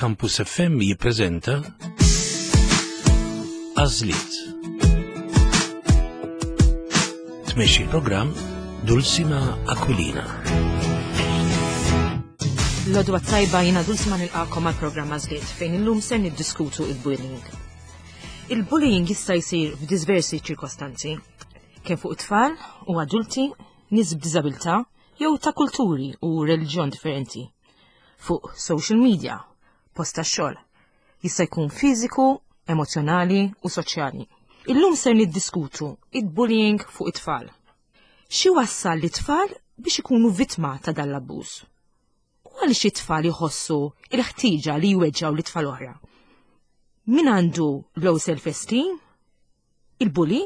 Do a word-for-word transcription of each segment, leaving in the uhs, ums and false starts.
Campus F M jippreżenta Għażliet. Tmexxi l-programm Dulcima Aquilina. L-għodwa t-tajba, jiena Dulcima, nilqagħkom għal programm Għażliet, fejn illum ser niddiskutu il-bullying. Il-bullying jista' jsir f'diversi ċirkostanzi, kemm fuq tfal u adulti, nies b'diżabilità jew ta' kulturi u reliġjon differenti. Fuq social media, post tax-xogħol. Jista' jkun fiżiku, emozjonali u soċjali. Illum ser niddiskutu il-bullying fuq it-tfal. Xi wassal lit-tfal biex ikunu vittma ta' dan l-abbuż? U għaliex it-tfal jħossu il-ħtieġa li jweġġgħu lit-tfal oħra? Min għandu low self-esteem? Il-bully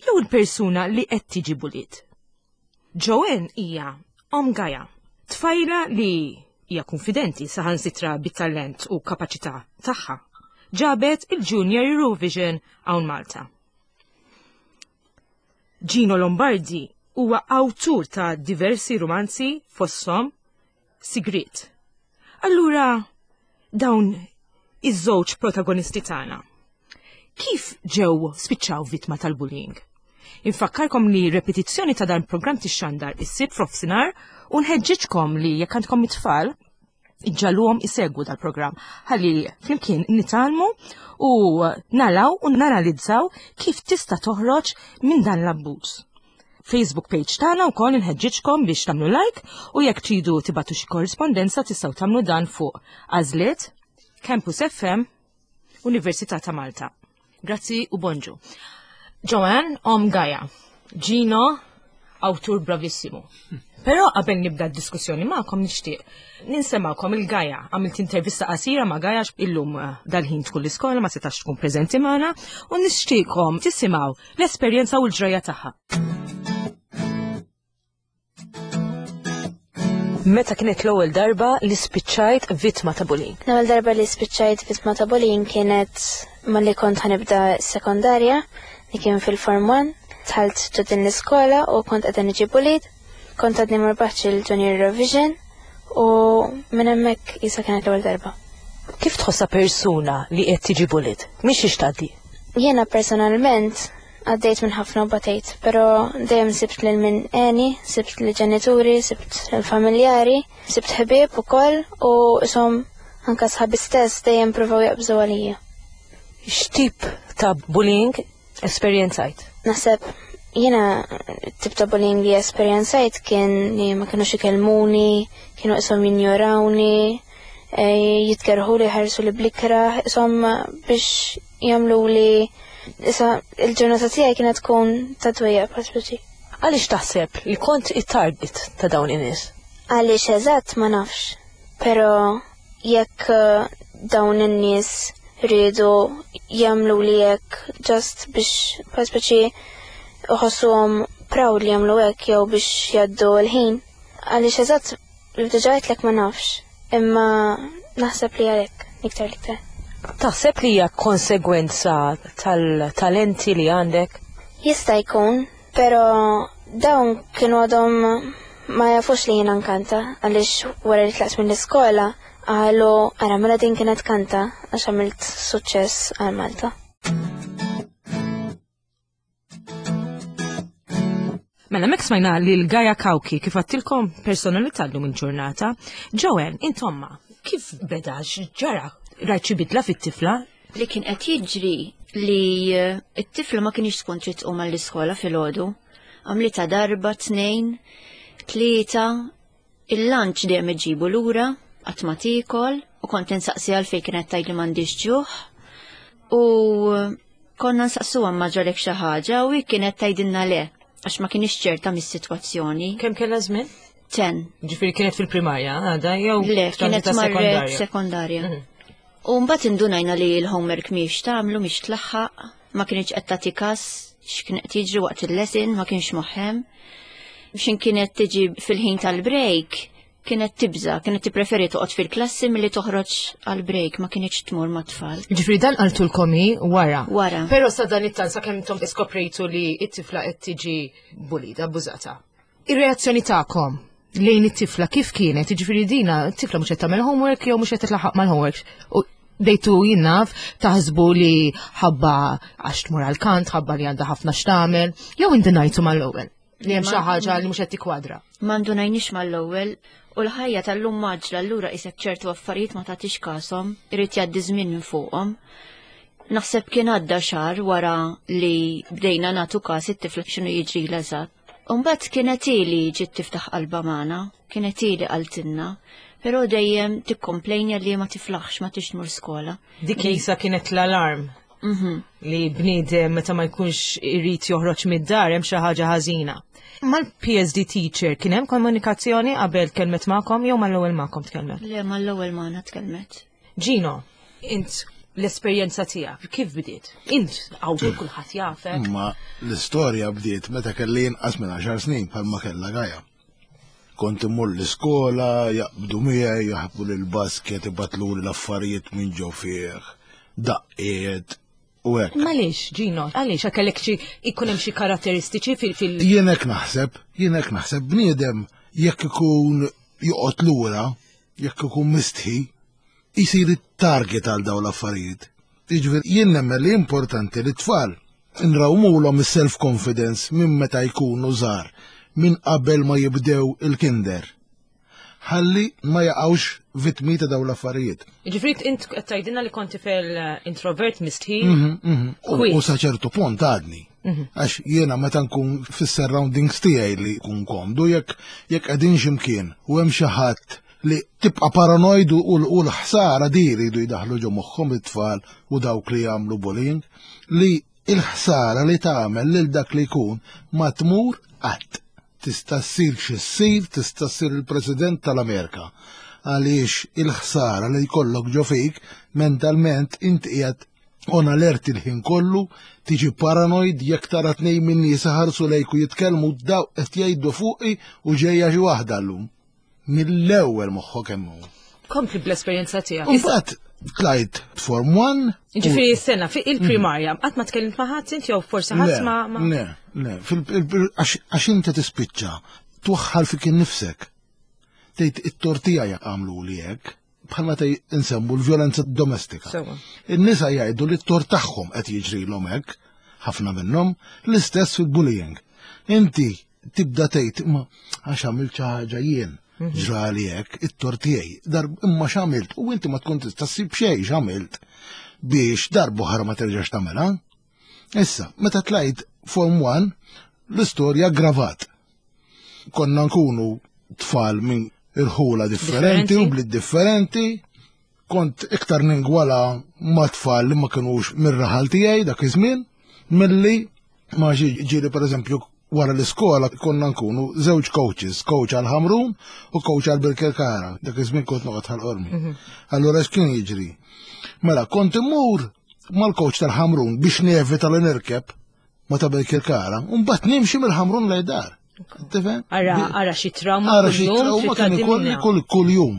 jew il-persuna li qed tiġi bullied? Joanne hija omm Gaja, tfajla li hija konfidenti saħansitra bit-talent u kapaċità tagħha. Ġabet il-Junior Eurovision hawn Malta. Gino Lombardi huwa awtur ta' diversi romanzi, fosthom Sigrit. Allura, dawn iż-żewġ protagonisti tagħna, kif ġew spiċċaw vittma tal-bullying? Infakkarkom li repetizzjoni ta' dan programm tixxandar is-Sibt f'nofsinhar u nħeġġeġkom li jekk għandkom it-tfal iġġagħluhom isegwu dal-programm ħalli flimkien nitgħallmu u naraw u nanalizzaw kif tista' toħroġ minn dan l-abbuż. Facebook page tagħna wkoll inħeġġiġkom biex tagħmlu like, u jekk tridu tibagħtu xi korrispondenza tistgħu tagħmlu dan fuq Għażliet, Campus F M, Università ta' Malta. Grazzi u bonġu. Joanne, omm Gaja. Gino, awtur bravissimu. Però qabel nibda d-diskussjoni magħkom nixtieq ninsemmagħkom lil Gaja. Għamilt intervista qasira ma' Gaja, illum eh, dal-ħin tkun l-iskola, ma setax tkun preżenti magħna, u nixtieqkom tisimgħu l-esperjenza u l-ġrajja tagħha. Meta kienet l-ewwel darba li spiċċajt vittma ta' bullying? L-ewwel darba li spiċċajt vittma ta' bullying kienet malli kont ħa nibda sekondarja, li kien fil-Form one. Dħalt ġo din l-iskola u kont qed niġi bullied. Kont għadni ma rbaħtx il-Junior Eurovision u minn hemmhekk jisa kienet l-ewwel darba. Kif tħossha persuna li qed tiġi bullied? Mhix tgħaddi? Jiena personalment għaddejt minn ħafna u batejt, pero dejjem sibt lil min għeni, sibt li ġenituri, sibt il-familjari, sibt ħbieb ukoll u isom anka sħabi stess dejjem provaw jaqbżu għalija. X'tip ta' bullying esperjenzajt? Naħseb jiena tip ta' bullying li esperjenzajt kien li ma kienux ikellmuni, kienu isom jinjorawni, eh, jitkerħu li ħarsu li bl-ikrah, isom biex jagħmlu li issa il-ġurnata tiegħi kienet tkun ta' dwejjaq bħal speċi. Għaliex taħseb li kont it-target ta' dawn in-nies? Għaliex eżatt ma nafx, pero jekk eh, dawn in-nies rridu jagħmlu li hekk just biex bħal speċi uħossuhom proud li jagħmlu hekk jew biex jgħaddu l-ħin. Għaliex eżatt li diġà għedtlek ma nafx, imma naħseb li għalhekk iktar l-iktar. Taħseb li hija konsegwenza tal-talenti li għandek? Jista' jkun, pero dawn kienu għadhom ma jafux li jiena nkanta, għaliex wara li tlaqt mill-iskola qalu, "Ara mela din kienet kanta," għax għamilt suċċess għal Malta. Mela mek smajna li l-Gaja Kawki, kif għedtilkom, personalità llum il-ġurnata. Joanne, intomma, kif beda, ġara? Rajt xi bidla fit-tifla? Li kien qed jiġri li eh, it-tifla ma kienx tkun trid tqum għall-iskola filgħodu. Għamlitha darba, tnejn, tlieta, il-lunch dejjem iġibu lura, qatt ma tiekol, u kont insaqsi għalfejn, kienet tgħid li m'għandix ġuħ. U konna nsaqsuha ma ġralek xi ħaġa u hi kienet tgħidilna le, għax ma kienx ċerta mis-sitwazzjoni. Kemm kellha żmien? Ten. Ġifieri kienet fil-primarja, għada, jew Le, kienet ta' marret sekondarja? Sekondarja. Mhm. U mbagħad indunajna li l-homework mhix tagħmlu, mhix tlaħħaq, ma kienx qed tagħti kas x'kien qed jiġri waqt il-lesson, ma kienx moħħem. X'in kienet tiġi fil-ħin tal-break, kienet tibża, kienet tippreferi toqgħod fil-klassi milli toħroġ għal-break, ma kienx tmur mat-tfal. Ġifieri dan qaltulkom hi wara. Wara. Però sa dan it-tant, sakemm intom iskoprejtu li it-tifla qed tiġi bullied, abbużata. Ir-reazzjoni tagħkom lejn it-tifla kif kienet? Jiġifieri dina, t-tifla mhux qed tagħmel homework jew mhux qed titlaħaq mal-homework. U bdejtu jien naf taħsbu li ħabba għax tmur għal-kant, ħabba li għandha ħafna x'tagħmel, jew indunajtu mal-ewwel li hemm xi ħaġa li mhux qed tikkwadra. Ma ndunajniex mal-ewwel u l-ħajja tal-lum mgħaġġla, allura isek ċertu affarijiet ma tagħtix kashom, irid jgħaddi żmien minn fuqhom. Naħseb kien għadda xahar wara li bdejna nagħtu każ it-tifla x'inhu jiġri eżatt. Umbagħad kienet ili ġiet tiftaħ qalba magħna, kienet ili qaltilna, però dejjem tikkomplejnja li ma tiflaħx, ma tix tmur skola. Dik jisa kienet l-alarm Mhm. li bniedem meta ma jkunx irid joħroġ mid-dar hemm xi ħaġa ħażina. Mal-P S D teacher kien hemm komunikazzjoni qabel tkellmet magħkom jew mal-ewwel magħkom tkellmet? Le, mal-ewwel magħna tkellmet. Gino, int l-esperjenza tiegħek kif bdiet? Int awtur, kulħadd jafek. Ma l-istorja bdiet meta kelli inqas minn għaxar snin, bħalma kellha Gaja. Kont immur l-iskola, jaqbdu miegħi, jaħbu l-basket, ibatlu l-affarijiet minn ġo fih, daqqiet, u hekk. Għaliex, Gino, għaliex kellek xi ikun hemm xi karatteristiċi fil fil Jien hekk naħseb, jien hekk naħseb, bniedem jekk ikun joqgħod lura, jekk ikun mistħi, jisir it-target għal dawn l-affarijiet. Jiġifieri jien nemmen li importanti li tfal nrawmulhom is-self-confidence minn meta jkunu żgħar, minn qabel ma jibdew il-kinder. Ħalli ma jaqgħux vittmi ta' dawn l-affarijiet. Ġifieri int qed tgħidilna li kont tifel eh, introvert, mistħi. Mhm, mhm. U Kwiet. u sa ċertu punt għadni. Għax jiena meta nkun fis-surroundings tiegħi li jkun komdu, jekk jekk qegħdin x'imkien u hemm xi ħadd li tibqa' paranoid u u l-ħsara di jridu jdaħlu ġo moħħhom it-tfal u dawk li jagħmlu bullying li il-ħsara li tagħmel lil dak li jkun ma tmur qatt. Tista' ssir xi ssir, tista' ssir il-President tal-Amerika. Għaliex il-ħsara li jkollok ġo fik mentalment, inti qiegħed on alert il-ħin kollu, tiġi paranoid jekk tara tnejn minn nies ħarsu lejk u jitkellmu, daw qed jgħidu fuqi u ġejja xi waħda llum. Mill-ewwel moħħok hemm hu. Kompli bl-esperjenza tiegħek. U mbagħad tlajt Form one. Ġifieri s-sena fi il-primarja, qatt ma tkellimt ma' ħadd int jew forsi ħadd ma ma- Le, le, fil- il- għax għax inti tispiċċa twaħħal fik innifsek. Tgħid it-tort tiegħi għamlu li hekk, bħalma tej insemmu l-vjolenza domestika. Sewa. In-nisa jgħidu li t-tort tagħhom qed jiġrilhom hekk, ħafna minnhom, l-istess fil-bullying. Inti tibda tgħid ma għax għamilt xi ħaġa jien, ġrali hekk, it-tort tiegħi, darb imma x'għamilt u inti ma tkun tista' ssib xejn x'għamilt biex darba oħra ma terġax tagħmilha. Issa, meta tlajt Form one, l-istorja gravat. Konna nkunu tfal minn irħula differenti Differenti. u bliet differenti. Kont iktar ningwala ma' tfal li ma kinux mir-raħal tiegħi dak iż-żmien milli ma xi ġieli. Pereżempju, wara l-iskola konna nkunu żewġ coaches, coach għal Ħamrun u coach għal Birkirkara. Dak iż-żmien kont noqgħod Ħal Qormi. Allura x'kien jiġri? Mela kont immur mal-coach tal-Ħamrun biex nevita li nirkeb ma ta' Birkirkara, u mbagħad nimxi mill-Ħamrun lejn dar. Tifhem? Ara, ara xi trauma Ara xi kuljum trauma trid kien tgħaddi ikolli minnha. kull kull jum.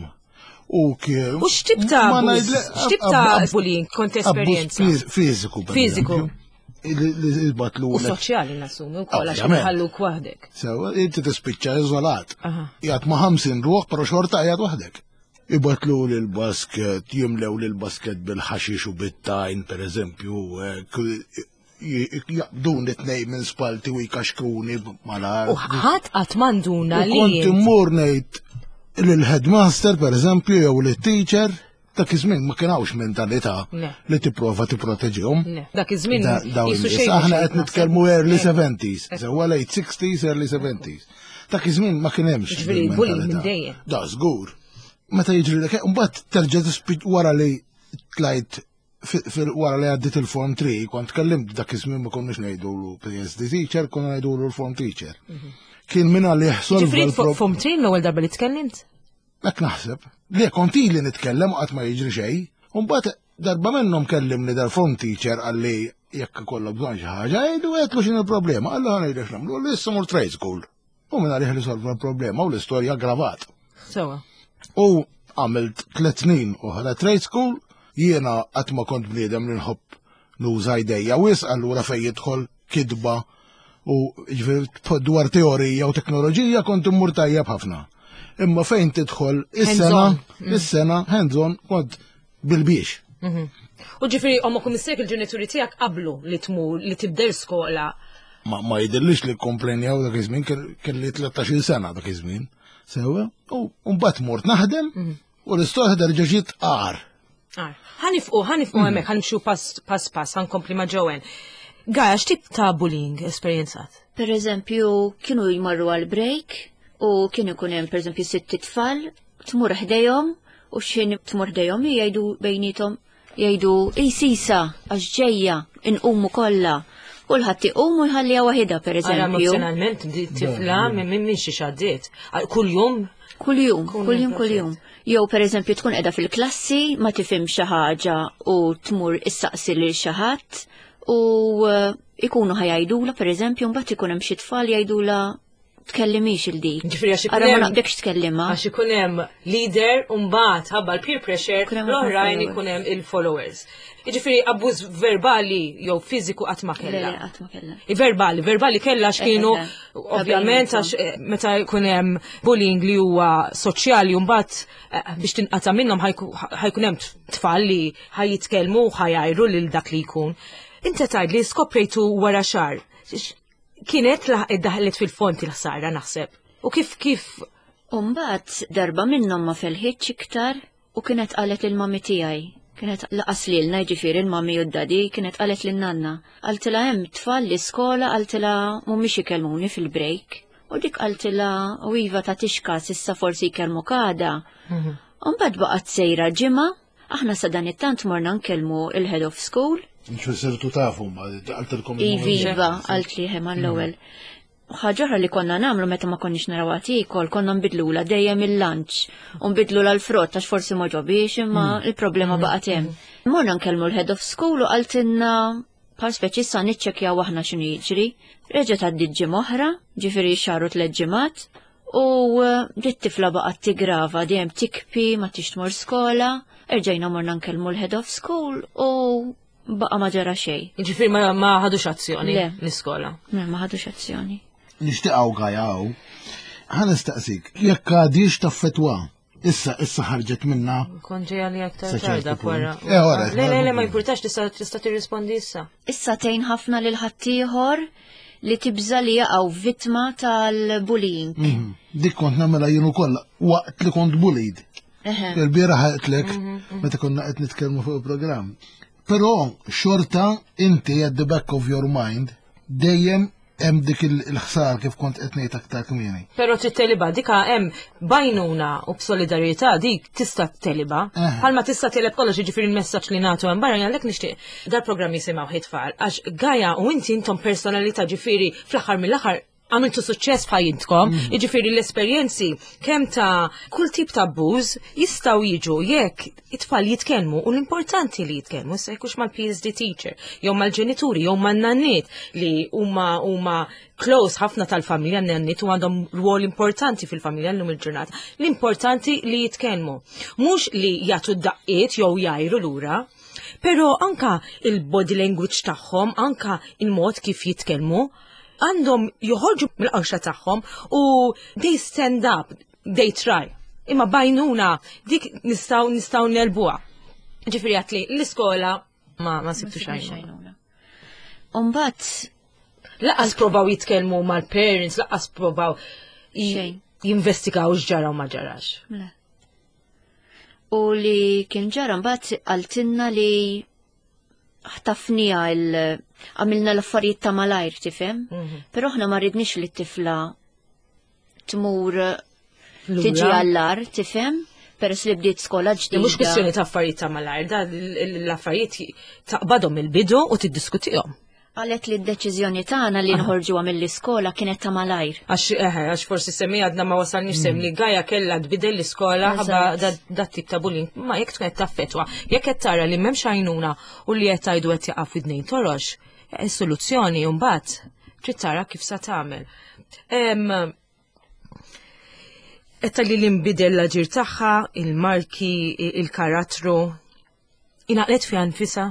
U kien. U x'tip ta' Ma abbuż? ngħidle- X'tip ta' ab- bullying kont abbuż esperjenza? fiż- Fiżiku. Per Fiżiku. eżempju. Li li jbatlu U soċjali nassumi wkoll għax Ovvjament. ħalluk waħdek. Sewa, inti tispiċċa iżolat. Aha. Jgħat ma' ħamsin ruħ, pero xorta jgħat waħdek. Ibatlu l-basket, jimlew l-basket bil-ħaxix u bit-tajn, per eżempju, jaqbduni tnejn minn spalti u jkaxkruni mal-art. U ħadd qatt m'għanduna U li kont int- immur ngħid lill-headmaster, per eżempju, jew lit-teacher, dak iż-żmien ma kienx mentalità Le. li tipprova tipproteġihom. Le, dak iż-żmien Da- dawn jisu in-nies. xejn Aħna xejn qed nitkellmu early Eh. seventies, sewwa, late sixties, early seventies. Dak iż-żmien ma kien hemmx Ġifieri din bullying mentalità. minn dejjem. Da żgur. Meta jiġri dak, mbagħad terġa' tispiċ wara li tlajt fi- fil- wara li għaddit il-form three, kont kellimt, dak iż-żmien ma konniex ngħidulu P S D teacher, konna ngħidulu l-form teacher. Kien minna li solva Ġifieri l-pro- form three l-ewwel darba li tkellimt? Hekk naħseb. Li kont ili nitkellem u qatt ma jiġri xejn. U mbagħad darba minnhom kellimni dal-form teacher, qalli jekk ikollok bżonn xi ħaġa, għidu. Għedtlu x'inhi il-problema. Qalli ħa ngħidlek x'nagħmlu, li issa mur trade school. U minn għalih li solva l-problema u l-istorja aggravat. Sewa. U għamilt tliet snin oħra trade school, jiena qatt ma kont bniedem li nħobb nuża jdejja wisq, allura fejn jidħol kidba u ġifieri dwar teorija u teknoloġija kont immur tajjeb ħafna. Imma fejn tidħol is-sengħa, is-sengħa, hands-on, kont bil-biex. Mhm. U ġifieri ommok u missierek, il-ġenituri tiegħek, qablu li tmur, li tibdel skola? Ma, ma jidhirlix li komplejnjaw dak iż-żmien, kelli tlettax-il sena dak iż-żmien. Sewa, u mbagħad mort naħdem u l-istorja terġa' ġiet agħar. Ħa nieqfu, ħa nieqfu hemmhekk, ħa nimxu pass pass pass, ħa nkompli ma' Joanne. Gaja, x'tip ta' bullying esperjenzat? Per eżempju, kienu jmorru għal break u kienu jkun hemm, per eżempju, sitt tfal, tmur ħdejhom u x'ħin tmur ħdejhom jgħidu bejniethom, jgħidu: "Ej sisa għax ġejja, inqumu kollha." Kulħadd iqum u jħalliha waħidha, per Ara eżempju. Emozjonalment di tifla minn minn minn xi xaddiet. Kuljum? Kuljum, Kull kuljum, jum. Kuljum. Jew, per eżempju, tkun qiegħda fil-klassi, ma tifhem xi ħaġa u tmur issaqsi lil xi ħadd u eh, ikunu ħa jgħidulha, per eżempju, mbagħad ikun hemm xi tfal jgħidulha: "Tkellimix il dik." Ġifieri għax ikun Ara ma hemm- naqbdekx tkellimha. Għax ikun hemm leader u mbagħad ħabba l-peer pressure Ikun hemm l-oħrajn followers. ikun hemm il-followers. Jiġifieri abbuż verbali jew fiżiku qatt ma Le, kellha. le, qatt ma kellha. Verbali, verbali kellha x'kienu Eh, eh, eh. ovvjament għax eh, meta jkun hemm bullying li huwa soċjali u mbagħad eh, biex tinqata' minnhom ħa jku- ħa jkun hemm tfal li ħa jitkellmu u ħa jgħajru lil dak li jkun. Inti tgħid li skoprejtu wara xahar. X- Kienet laħ- daħlet fil-fond il-ħsara, naħseb. U kif kif Umbagħad darba minnhom ma felħitx iktar u kienet qalet il-mami tiegħi. Kienet lanqas lilna, ġifieri il-mami u d-daddy, kienet qalet lin-nanna. Qaltilha: "Hemm tfal l-iskola," qaltilha, "mhumiex ikellmuni fil-break." U dik qaltilha: "U iva, ta' tixkas, issa forsi jkellmuk għada." Umbagħad baqgħet sejra ġimgħa, aħna sa dan it-tant morna nkellmu il-head of school. Nxu sirtu tafu, ma qaltilkom? Ivi, iva, qalt li hemm l-ewwel. Ħaġa oħra li konna nagħmlu meta ma konniex naraw għatikol, konna nbidlula dejjem il-lunch, u nbidlula l-frott għax forsi ma għoġbiex, imma il-problema baqgħet hemm. Morna nkellmu l-head of school u qaltilna bħal speċi sa niċċekjaw aħna x'inhu jiġri. Reġgħet għaddiet ġimgħa oħra, ġifieri xahar u tliet ġimgħat, u eh, dit tifla baqgħet tigrava, dejjem tibki, ma tix tmur skola, erġajna morna nkellmu l-head of school u baqa' ma ġara xejn. Ġifieri ma, ma ħadux azzjoni Le. l-iskola? Le, ma ħadux azzjoni. Nixtieqaw gajaw. Ħa nistaqsik, jekk għadhiex taffettwa, issa issa ħarġet minna? Kont ġejja li aktar Sa ċertu tarda punt. wara. Eh, ora, Le, le, le, ma jimpurtax, tista' tista' tirrispondi issa. Issa tgħin ħafna lil ħaddieħor li tibża li jaqgħu vittma tal-bullying. Mhm. Dik kont nagħmilha jien ukoll waqt li kont bullied. Eħe. Il-bieraħ għedtlek meta konna qed nitkellmu fuq il-programm. Però xorta inti at the back of your mind dejjem hemm dik il-ħsar kif kont qed ngħid aktar kmieni. Però trid tegħlibha, dika hemm b'għajnuna u b'solidarjetà dik tista' tegħlibha. Eh. Bħalma tista' tegħleb kollox, jiġifieri l-messaġġ li nagħtu hemm barra, għalhekk nixtieq dal-programm jisimgħu it-tfal għax Gaja u inti intom personalità, ġifieri fl-aħħar mill-aħħar għamiltu suċċess f'ħajjitkom, jiġifieri l-esperjenzi kemm ta' kull tip ta' abbuż jistgħu jiġu jekk it-tfal jitkellmu, u l-importanti li jitkellmu, se jkunx mal-P S D teacher, jew mal-ġenituri, jew man-nanniet li huma huma close ħafna tal-familja, n-nanniet, u għandhom rwol importanti fil-familja llum il-ġurnata. L-importanti li jitkellmu. Mhux li jagħtu daqqiet jew jgħajru lura, pero anka il-body language tagħhom, anka il-mod kif jitkellmu, għandhom joħorġu mill-qoxra tagħhom u they stand up, they try. Imma b'għajnuna dik nistgħu nistgħu negħlbuha. Ġifieri għedt li l-iskola ma ma sibtu xejn. Umbagħad Lanqas provaw jitkellmu mal-parents, lanqas provaw j- Xejn. jinvestigaw x'ġara u ma ġarax. Le. U li kien ġara mbagħad qaltilna li ħtafnija il għamilna l-affarijiet ta' malajr, tifhem? Però aħna ma ridniex li t-tifla tmur tiġi għall-agħar, tifhem? Peress li bdiet skola ġdida. Mhux kwistjoni ta' affarijiet ta' malajr, da l-affarijiet taqbadhom il-bidu u tiddiskutihom. Qalet li d-deċiżjoni tagħna li nħorġuha mill-iskola kienet ta' malajr. Għax eħe, għax forsi semmi għadna ma wasalniex sem li Gaja kella tbidel l-iskola ħabba Eżatt. da tip ta' bullying. Ma jekk tkun qed taffetwa, jekk qed tara li m'hemmx għajnuna u li qed tgħidu qed jaqa' f'idnejn torox, eh, soluzzjoni mbagħad trid tara kif sa tagħmel. Em, Etta li l-imbidel l-aġir tagħha, il-marki, il-karattru, ingħalqet fiha nfisha?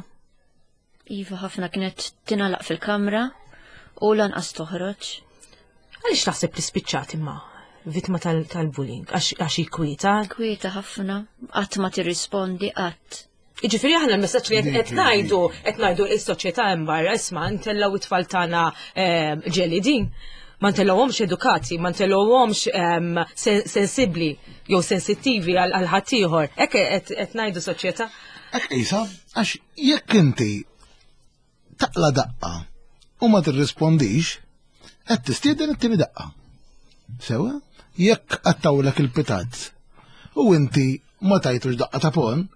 Iva, ħafna, kienet tingħalaq fil-kamra u lanqas toħroġ. Għaliex taħseb li spiċċat imma? vittma tal-bullying? Għax hi kwieta? Kwieta ħafna, qatt ma tirrispondi qatt. Jiġifieri aħna l-messaġġ li qed ngħidu, qed ngħidu s-soċjetà hemm barra, isma' ntellgħu it-tfal tagħna ġelidin. Ma ntellgħuhomx edukati, ma ntellgħuhomx sensibbli jew sensittivi għal ħaddieħor. Hekk qed ngħidu soċjetà. Hekk qisha, għax jekk inti taqla daqqa u ma tirrispondix, qed tistieden it-tieni daqqa. Sewa? Jekk qattawlek il-pitazz u inti ma tajtux daqqa ta' pon,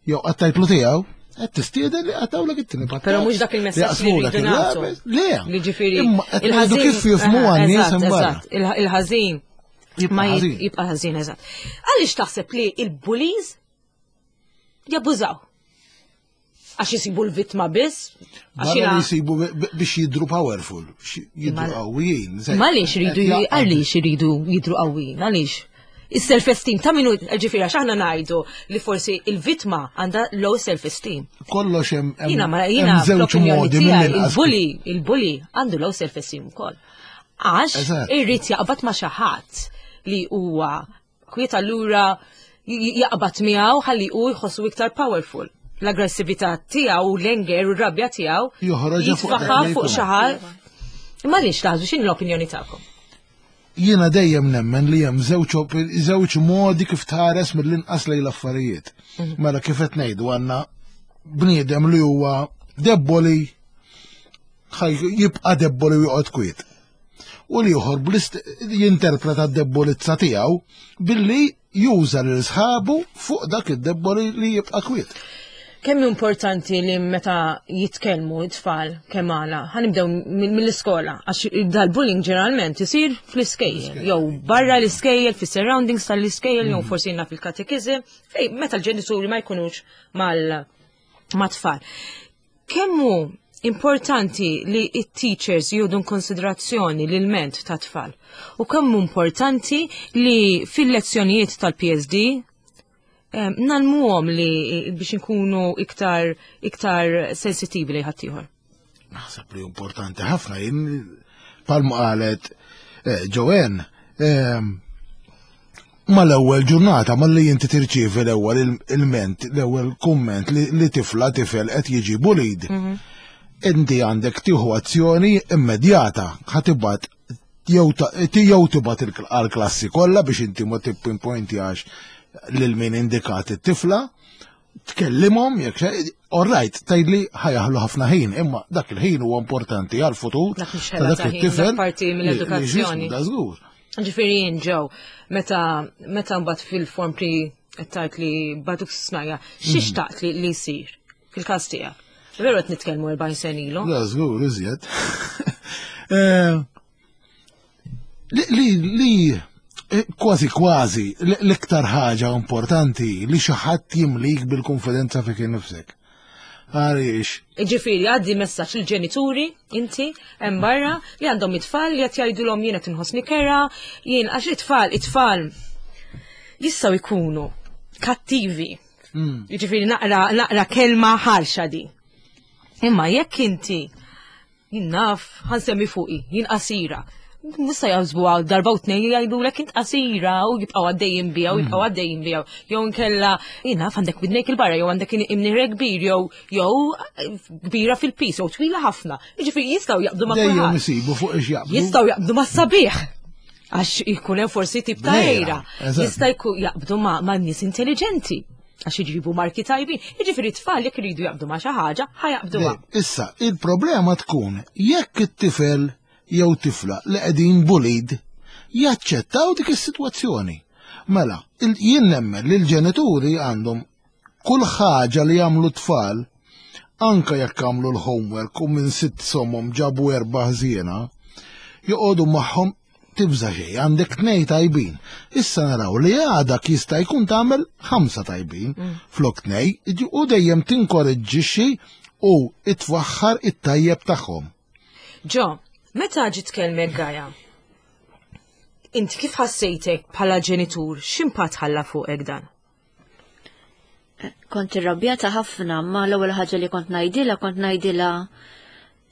jew qattajtlu tiegħu, qed tistieden li qattawlek it-tieni patazz. Però mhux dak il-messaġġ li rridu nagħtu. Le. Li ġifieri. Imma qed ngħidu kif jifhmuha n-nies imbarra. Il-ħażin ma jibqa' ħażin, eżatt. Għaliex taħseb li il-bullies jabbużaw? Għax jisibu l-vittma biss? Għax jisibu biex jidru powerful, biex jidru qawwijin. Ma għaliex iridu għaliex iridu jidru qawwijin, għaliex? Is-self-esteem ta' minu, ġifieri għax aħna ngħidu li forsi il-vittma għandha low self-esteem. Kollox hemm Jiena ma jiena żewġ modi il-bully, il-bully għandu low self-esteem ukoll. Għax irrid jaqbad ma' xi ħadd li huwa kwiet allura jaqbad miegħu ħalli hu jħossu iktar powerful. L-aggressività tiegħu u l-anger u r-rabja tiegħu joħroġha fuq xi ħadd. Imma għaliex taħsbu x'inhi l-opinjoni tagħkom? Jiena dejjem nemmen li hemm żewġ modi kif tħares mill-inqas lejn l-affarijiet. Mela kif qed ngħidu għandna bniedem li huwa debboli jibqa' debboli u joqgħod kwiet. U li ieħor jinterpreta d-debbolizza tiegħu billi juża lil sħabu fuq dak id-debboli li jibqa' kwiet. Kemm importanti li meta jitkellmu it-tfal kemm għala, ħanibdew mill-iskola, għax dal-bullying ġeneralment isir fl-iskejjel, jew barra l-iskejjel, fis-surroundings tal-iskejjel, jew forsi jiena fil-katekiżm, fej meta l-ġenituri ma jkunux mal-tfal. Kemm hu importanti li it-teachers jieħdu konsiderazzjoni l-ment ta' tfal u kemm hu importanti li fil-lezzjonijiet tal-P S D nalmuhom li biex nkunu iktar iktar sensitivi li ħaddieħor. Naħseb li importanti ħafna jien palma qalet Joanne mal-ewwel ġurnata malli inti tirċievi l-ewwel il-ment, l-ewwel kumment li tifla tifel qed jiġi bullied. Inti għandek tieħu azzjoni immedjata, ħatibgħat jew tibgħat għall-klassi kollha biex inti ma tippinpointjax lil min indikat it-tifla, tkellimhom jekk xejn, all right, tgħidli ħajaħlu ħafna ħin, imma dak il-ħin huwa importanti għall-futur ta' dak it-tifel. Parti mill-edukazzjoni. Da żgur. Ġifieri jien ġew, meta meta mbagħad fil-form pre qed tgħid li bagħtuk snajja, xi xtaqt li jsir fil-każ tiegħek? Veru qed nitkellmu erbgħin sena ilu. La żgur iżjed. Li li kważi kważi l-iktar ħaġa importanti li xi ħadd jimlik bil-konfidenza fik innifsek. Għaliex. Ġifieri għaddi messaġġ lill-ġenituri inti hemm barra li għandhom it-tfal li qed jgħidulhom jien qed inħossni kera, jien għax it-tfal it-tfal jistgħu jkunu kattivi. Jiġifieri naqra naqra kelma ħarxa di. Imma jekk inti jien naf ħansemmi fuqi, jien qasira. Nista' jaqsbu għal darba u tnejn jgħidulek int qasira u jibqgħu għaddejjin biha u jibqgħu għaddejjin biha. Jew inkella jien naf għandek widnejk il-barra jew għandek imnirek kbir jew jew kbira fil-pis jew twila ħafna. Jiġifieri jistgħu jaqbdu ma' kulħadd. Dejjem isibu fuq ix jaqbdu. Jistgħu jaqbdu ma' sabiħ. Għax jkun hemm forsi tip ta' ejra. Jista' jkun jaqbdu ma' nies intelligenti. Għax iġibu marki tajbin. Jiġifieri t-tfal jekk iridu jaqbdu ma' xi ħaġa, ħajaqbduha. Issa, il-problema tkun jekk it-tifel jew tifla li qegħdin bullied jaċċettaw dik is-sitwazzjoni. Mela, jien nemmen li l-ġenituri għandhom kull ħaġa li jagħmlu tfal, anke jekk għamlu l-homework u minn sitt somhom ġabu erba' ħżiena, joqogħdu magħhom tibża' xejn, għandek tnej tajbin. Issa naraw li għadak jista' jkun tagħmel ħamsa tajbin flok tnej, u dejjem tinkoreġġixxi u itfaħħar it-tajjeb tagħhom. Ġo, meta ġiet tkellmek Gaja, inti kif ħassejtek bħala ġenitur, x'impatt ħalla fuqek dan? Kont irrabjata ħafna, ma l-ewwel ħaġa li kont ngħidilha, kont ngħidilha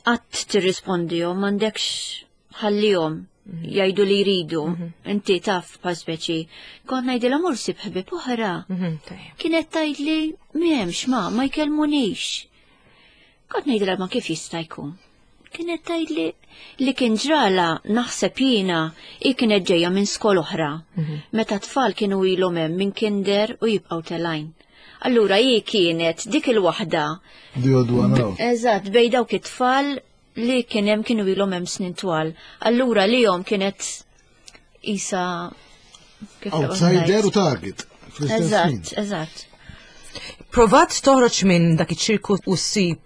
qatt tirrispondihom, m'għandekx ħallihom. Jgħidu li jridu. Inti taf pa speċi. Kont ngħidilha mur sib ħbieb oħra. Mhm, tajjeb. Kienet tgħidli m'hemmx ma ma jkellmunix. Kont ngħidilha ma kif jista' jkun. Kienet tgħidli li kien ġrala naħseb jiena hi kienet ġejja minn skola oħra. Meta tfal kienu ilhom hemm minn kinder u jibqgħu telgħin. Allura hi kienet dik il-waħda The odd one out. Eżatt, bejn dawk it-tfal li kien hemm kienu ilhom hemm snin twal. Allura lilhom kienet isa kif taqbad Outsider ngħid? u target. Fl-istess ħin. Eżatt, eżatt. Provat toħroġ minn dak iċ-ċirku u ssib.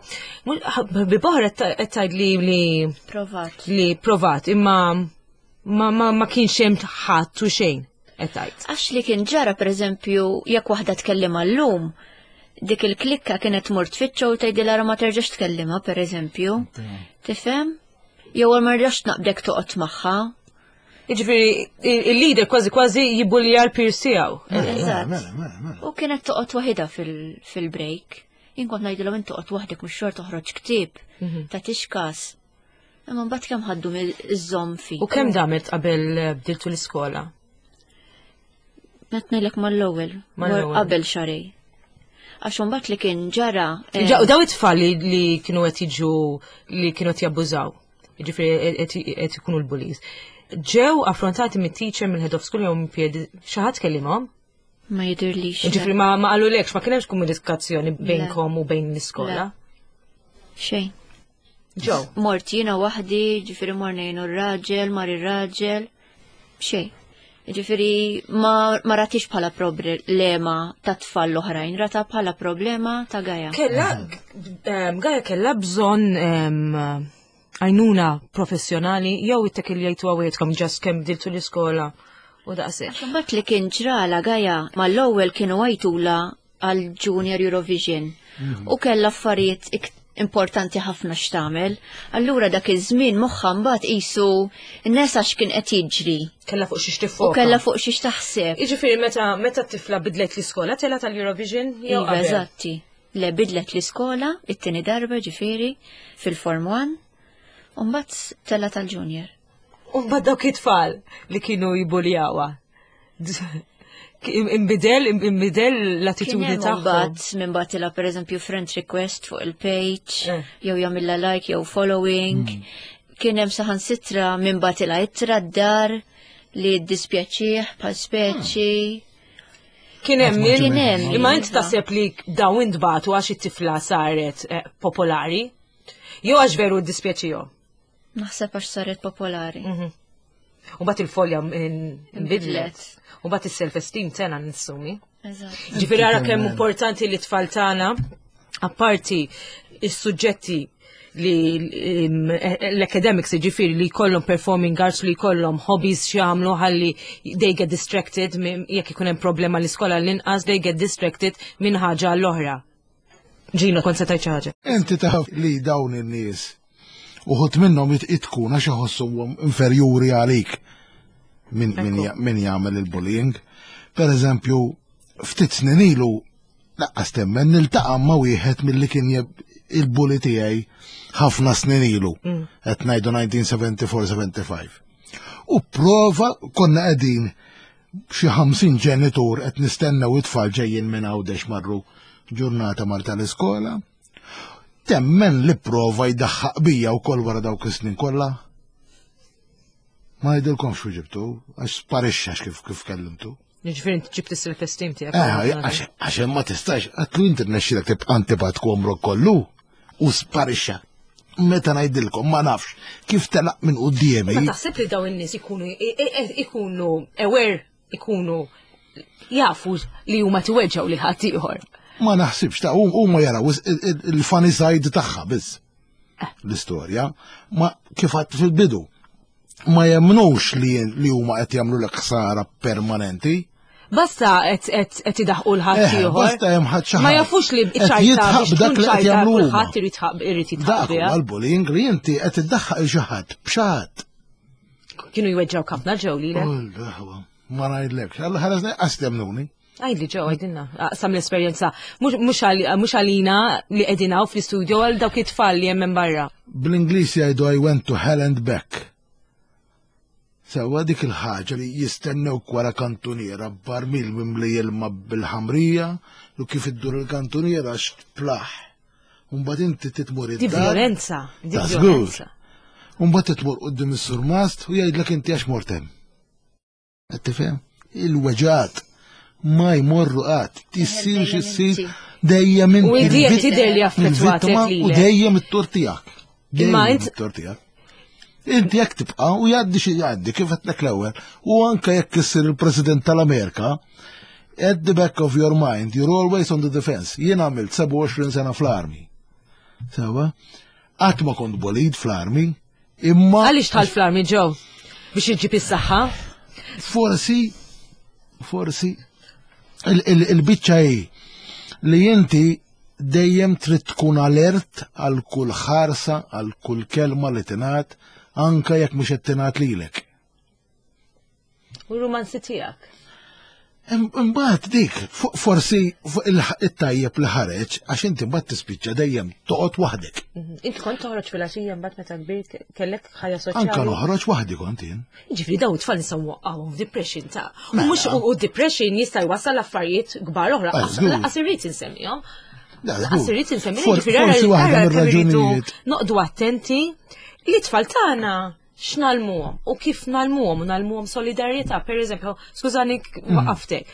Bi boħra qed tgħid li li Provat. li provat imma ma ma, ma kienx hemm ħadd u xejn qed tgħid. Għax li kien ġara per eżempju, jekk waħda tkellima llum, dik il-klikka kienet mur tfittxa u tgħidilha ma terġax tkellima per eżempju. Tifhem? Jew ma rridx naqbdek toqgħod magħha. Jiġifieri il-leader kważi kważi jibbulja l-peers tiegħu. Eżatt. Mela, mela, mela. U kienet toqgħod waħedha fil- fil-break. Jien kont ngħidilhom int toqgħod waħdek mhux xort toħroġ ktieb ta' tixkas. Imma mbagħad kemm ħaddu mill-żomm fi. U kemm damet qabel bdiltu l-iskola? Qed ngħidlek mal-ewwel, Mal-ewwel. qabel xahrejn. Għax imbagħad li kien ġara. eh, Ġa- Daw it-tfal li, li kienu qed jiġu li kienu qed jabbużaw. Jiġifieri qed qed ikunu l-bullies. Ġew affrontati mit-teacher mill-head of school jew minn peer xi ħadd kellimhom? Ma jidirlix. Jiġifieri ma ma qalulekx ma kien hemmx komunikazzjoni bejnkom u bejn l-iskola. Xejn. Ġew. Mort jiena waħdi, ġifieri morna jien u r-raġel, mar ir-raġel. Xejn. Ġifieri ma, ma ratix bħala problema ta' tfal l-oħrajn, rata bħala problema ta' Gaia. Kella, em, Gaia kella bżonn em, għajnuna professjonali jew it-tekil jgħidu għawetkom just kemm bdiltu l-iskola u daqshekk. Mbagħad li kien ġrala Gaia mal-ewwel kienu għajtula għal Junior Eurovision u kella affarijiet ik- importanti ħafna x'tagħmel. Allura dak iż-żmien moħħha mbagħad qisu n-nesa x'kien qed jiġri Kella fuq xiex u tiffoka. kella fuq xiex taħseb. Jiġifieri meta meta t-tifla bidlet l-iskola tela tal-Eurovision jew Iva, qabel? eżatti. Le bidlet l-iskola, it-tieni darba ġifieri fil-Form one, u mbagħad tela tal-Junior. U mbagħad dawk it-tfal li kienu jibbuljawha. Imbidel, imbidel l-attitudni Kien hemm tagħhom. mbagħad minn bagħtilha pereżempju friend request fuq il-page, Eh. jew jagħmilha like jew following. Kien hemm saħansitra minn bagħtilha ittra d-dar li ddispjaċih bħal speċi. Kien hemm min- Kien hemm, Imma inti iva. taħseb li dawn intbagħtu għax it-tifla saret eh, popolari? Jew għax veru ddispjaċihom? Naħseb għax saret popolari. U mbagħad il-folja nbidlet. Inbidlet. U mbagħad is-self-esteem tena nissumi. Eżatt. Ġifieri ara kemm importanti li tfal tagħna apparti is-suġġetti li im, l-academics ġifieri li jkollhom performing arts li jkollhom hobbies x'jagħmlu ħalli they get distracted minn- jekk ikun hemm problema l-iskola l-inqas they get distracted minn ħaġa l-oħra. Ġino, kont se tgħid xi ħaġa. Inti taf li dawn in-nies uħud minnhom it- itkun għax iħossuhom inferjuri għalik min, min, ja- min jagħmel il-bullying. Per eżempju, ftit snin ilu laqqas temmen niltaqa' ma' wieħed milli kien jeb- il-bully tiegħi ħafna snin ilu. Qed ngħidu elf disa' mija sebgħa u erbgħin sebgħa u ħamsin. U prova konna qegħdin xi ħamsin ġenitur qed nistennew it-tfal ġejjin minn Għawdex marru ġurnata mar tal-iskola. Temmen li prova jdaħħaq bija wkoll wara dawk is-snin kollha. Ma ngħidilkomx xu ġibtu, għax sparixxa kif kif kellimtu. Ġifieri inti ġibt is-self-esteem tiegħek. Eh, għax għax ma tistax, għedtlu inti rnexxilek tibqa' antipatku għomrok kollu u sparixxa. Meta ngħidilkom ma nafx kif telaq minn quddiemi. Ma taħseb li dawn in-nies ikunu i- i- ikunu aware, ikunu jafu li huma tiweġġgħu lil ħadd ieħor. Ma naħsibx ta' huma jaraw is- il- il- il-funny side tagħha biss. L-istorja, ma kif għedt fil-bidu. Ma jemnux li li huma qed jagħmlu l ħsara permanenti. Basta qed qed qed idaħqu l ħadd Eh, ieħor. basta hemm ħadd xi Ma ħadd. jafux li Qed ċajta jidħaq biex b'dak tkun li qed ċajta jagħmlu huma. kulħadd irid jitħaq irid jitħaq Dak biha. huwa l-bullying li inti qed iddaħħaq il xi ħadd b'xi ħadd. Kienu jweġġgħu ħafna ġew lilek. Oh, Ma ngħidlekx, Alla ħares qas temnuni. Għidli ġew għidilna, aqsam l-esperjenza. Mhux mhux għal- mhux għalina li qegħdin hawn fl-istudio għal dawk it-tfal li hemm minn barra. Bl-Ingliż jgħidu "I went to hell and back." Sewwa, dik il-ħaġa li jistennewk wara kantuniera b'barmil mimli ilma bil-ħamrija u kif iddur il-kantuniera x'tplaħ. Mbagħad inti titmur Di id-dar. violenza, di Ta' żgur. violenza. Mbagħad titmur quddiem is-surmast u jgħidlek inti għax mort hemm. Qed tifhem? Il-weġgħat ma jmorru qatt. Tissir Dejjem x'issir inti. Dejjem U inti di il-vitt- tidher li affettwatek il-vittma u lilek. dejjem it-tort tiegħek. Imma Dejjem int- it-tort tiegħek. Inti jekk tibqa' u jgħaddi xi jgħaddi, kif għedtlek l-ewwel. U anke jekk issir il-President tal-Amerika, at the back of your mind, you're always on the defense. Jien għamilt sebgħa u għoxrin sena fl-army. Sewwa? Qatt ma kont bullied fl-army, imma Għaliex dħalt fl-army, Joe? Biex iġġib is-saħħa? Forsi, forsi, il- il- il-biċċa hi li inti dejjem trid tkun alert għal kull ħarsa, għal kull kelma li tingħad, anka jekk mhux qed tingħad lilek. U romanzi tiegħek. Imbagħad dik, fo- forsi fuq il- it-tajjeb li ħareġ, għax inti mbagħad tispiċċa dejjem toqgħod waħdek. Mhm. Inti kont toħroġ fil-għaxija mbagħad meta kbirt, kellek ħajja soċjali? Anka noħroġ waħdi kont jien. Ġifieri daw it-tfal nistgħu nwaqqgħuhom f'depression ta' u Mela. mhux u depression jista' jwassal affarijiet kbar oħra. Ah, żgur. Lanqas irrid insemmihom. Da, Lanqas żgur. irrid insemmihom. For- Ġifieri Forsi ara- waħda ara kemm irridu mir-raġunijiet. noqdu attenti li t-tfal tagħna x'nalmuhom u kif nalmuhom u nalmuhom solidarjetà, per eżempju, skużani Mm. waqaftek.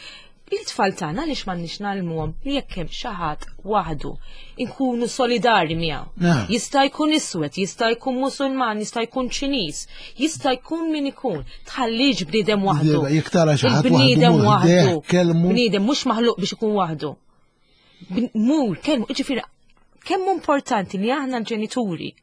It-tfal tagħna għaliex m'għandniex nalmuhom li jekk hemm xi ħadd waħdu inkunu solidari miegħu? Nah. Jista' jkun iswed, jista' jkun Musulman, jista' jkun Ċiniż, jista' jkun min ikun. Tħallix bniedem waħdu. Jekk tara xi ħadd waħdu, Il-bniedem mur ħdejh, kellmu. Bniedem mhux maħluq biex ikun waħdu. Bn- Mur, kellmu, ġifieri kemm importanti li aħna l-ġenituri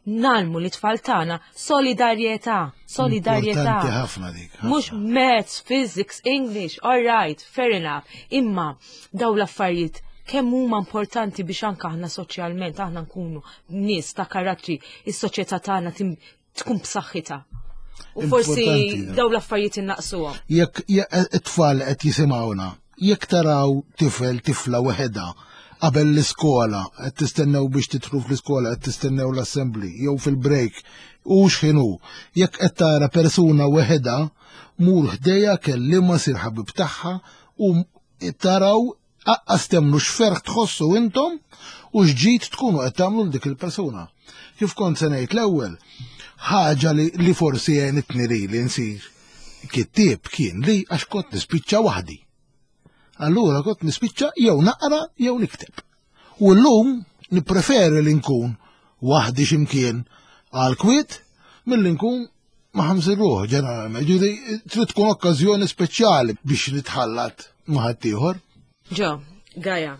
nalmu li tfal tagħna solidarjetà, solidarjetà. Importanti ħafna dik. Ħafna. Mhux maths, physics, English, all right, fair enough. Imma daw l-affarijiet kemm huma importanti biex anka aħna soċjalment aħna nkunu nies ta' karattri, is-soċjetà tagħna tim- tkun b'saħħitha. U forsi Importanti, da. daw l-affarijiet innaqsuhom. Jekk jekk it-tfal qed jisimgħuna, jekk taraw tifel, tifla weħeda qabel l-iskola, qed tistennew biex titru fl-iskola, qed tistennew l-assembly jew fil-break, u x'inhu, jekk qed tara persuna weħeda, mur ħdejha, kellimha, sir ħabib tagħha u taraw aqqas temmnu x'ferħ tħossu intom u x'ġid tkunu qed tagħmlu l dik il-persuna. Kif kont se ngħid l-ewwel, ħaġa li, li forsi għenitni li li nsir kittieb kien li għax kont nispiċċa waħdi. Allura kont nispiċċa jew naqra jew nikteb. U llum nippreferi li nkun waħdi x'imkien għal kwiet milli nkun ma' ħamsin ruħ ġeneralment. Ġifieri trid tkun okkażjoni speċjali biex nitħallat ma' ħaddieħor. Joe, Gaia,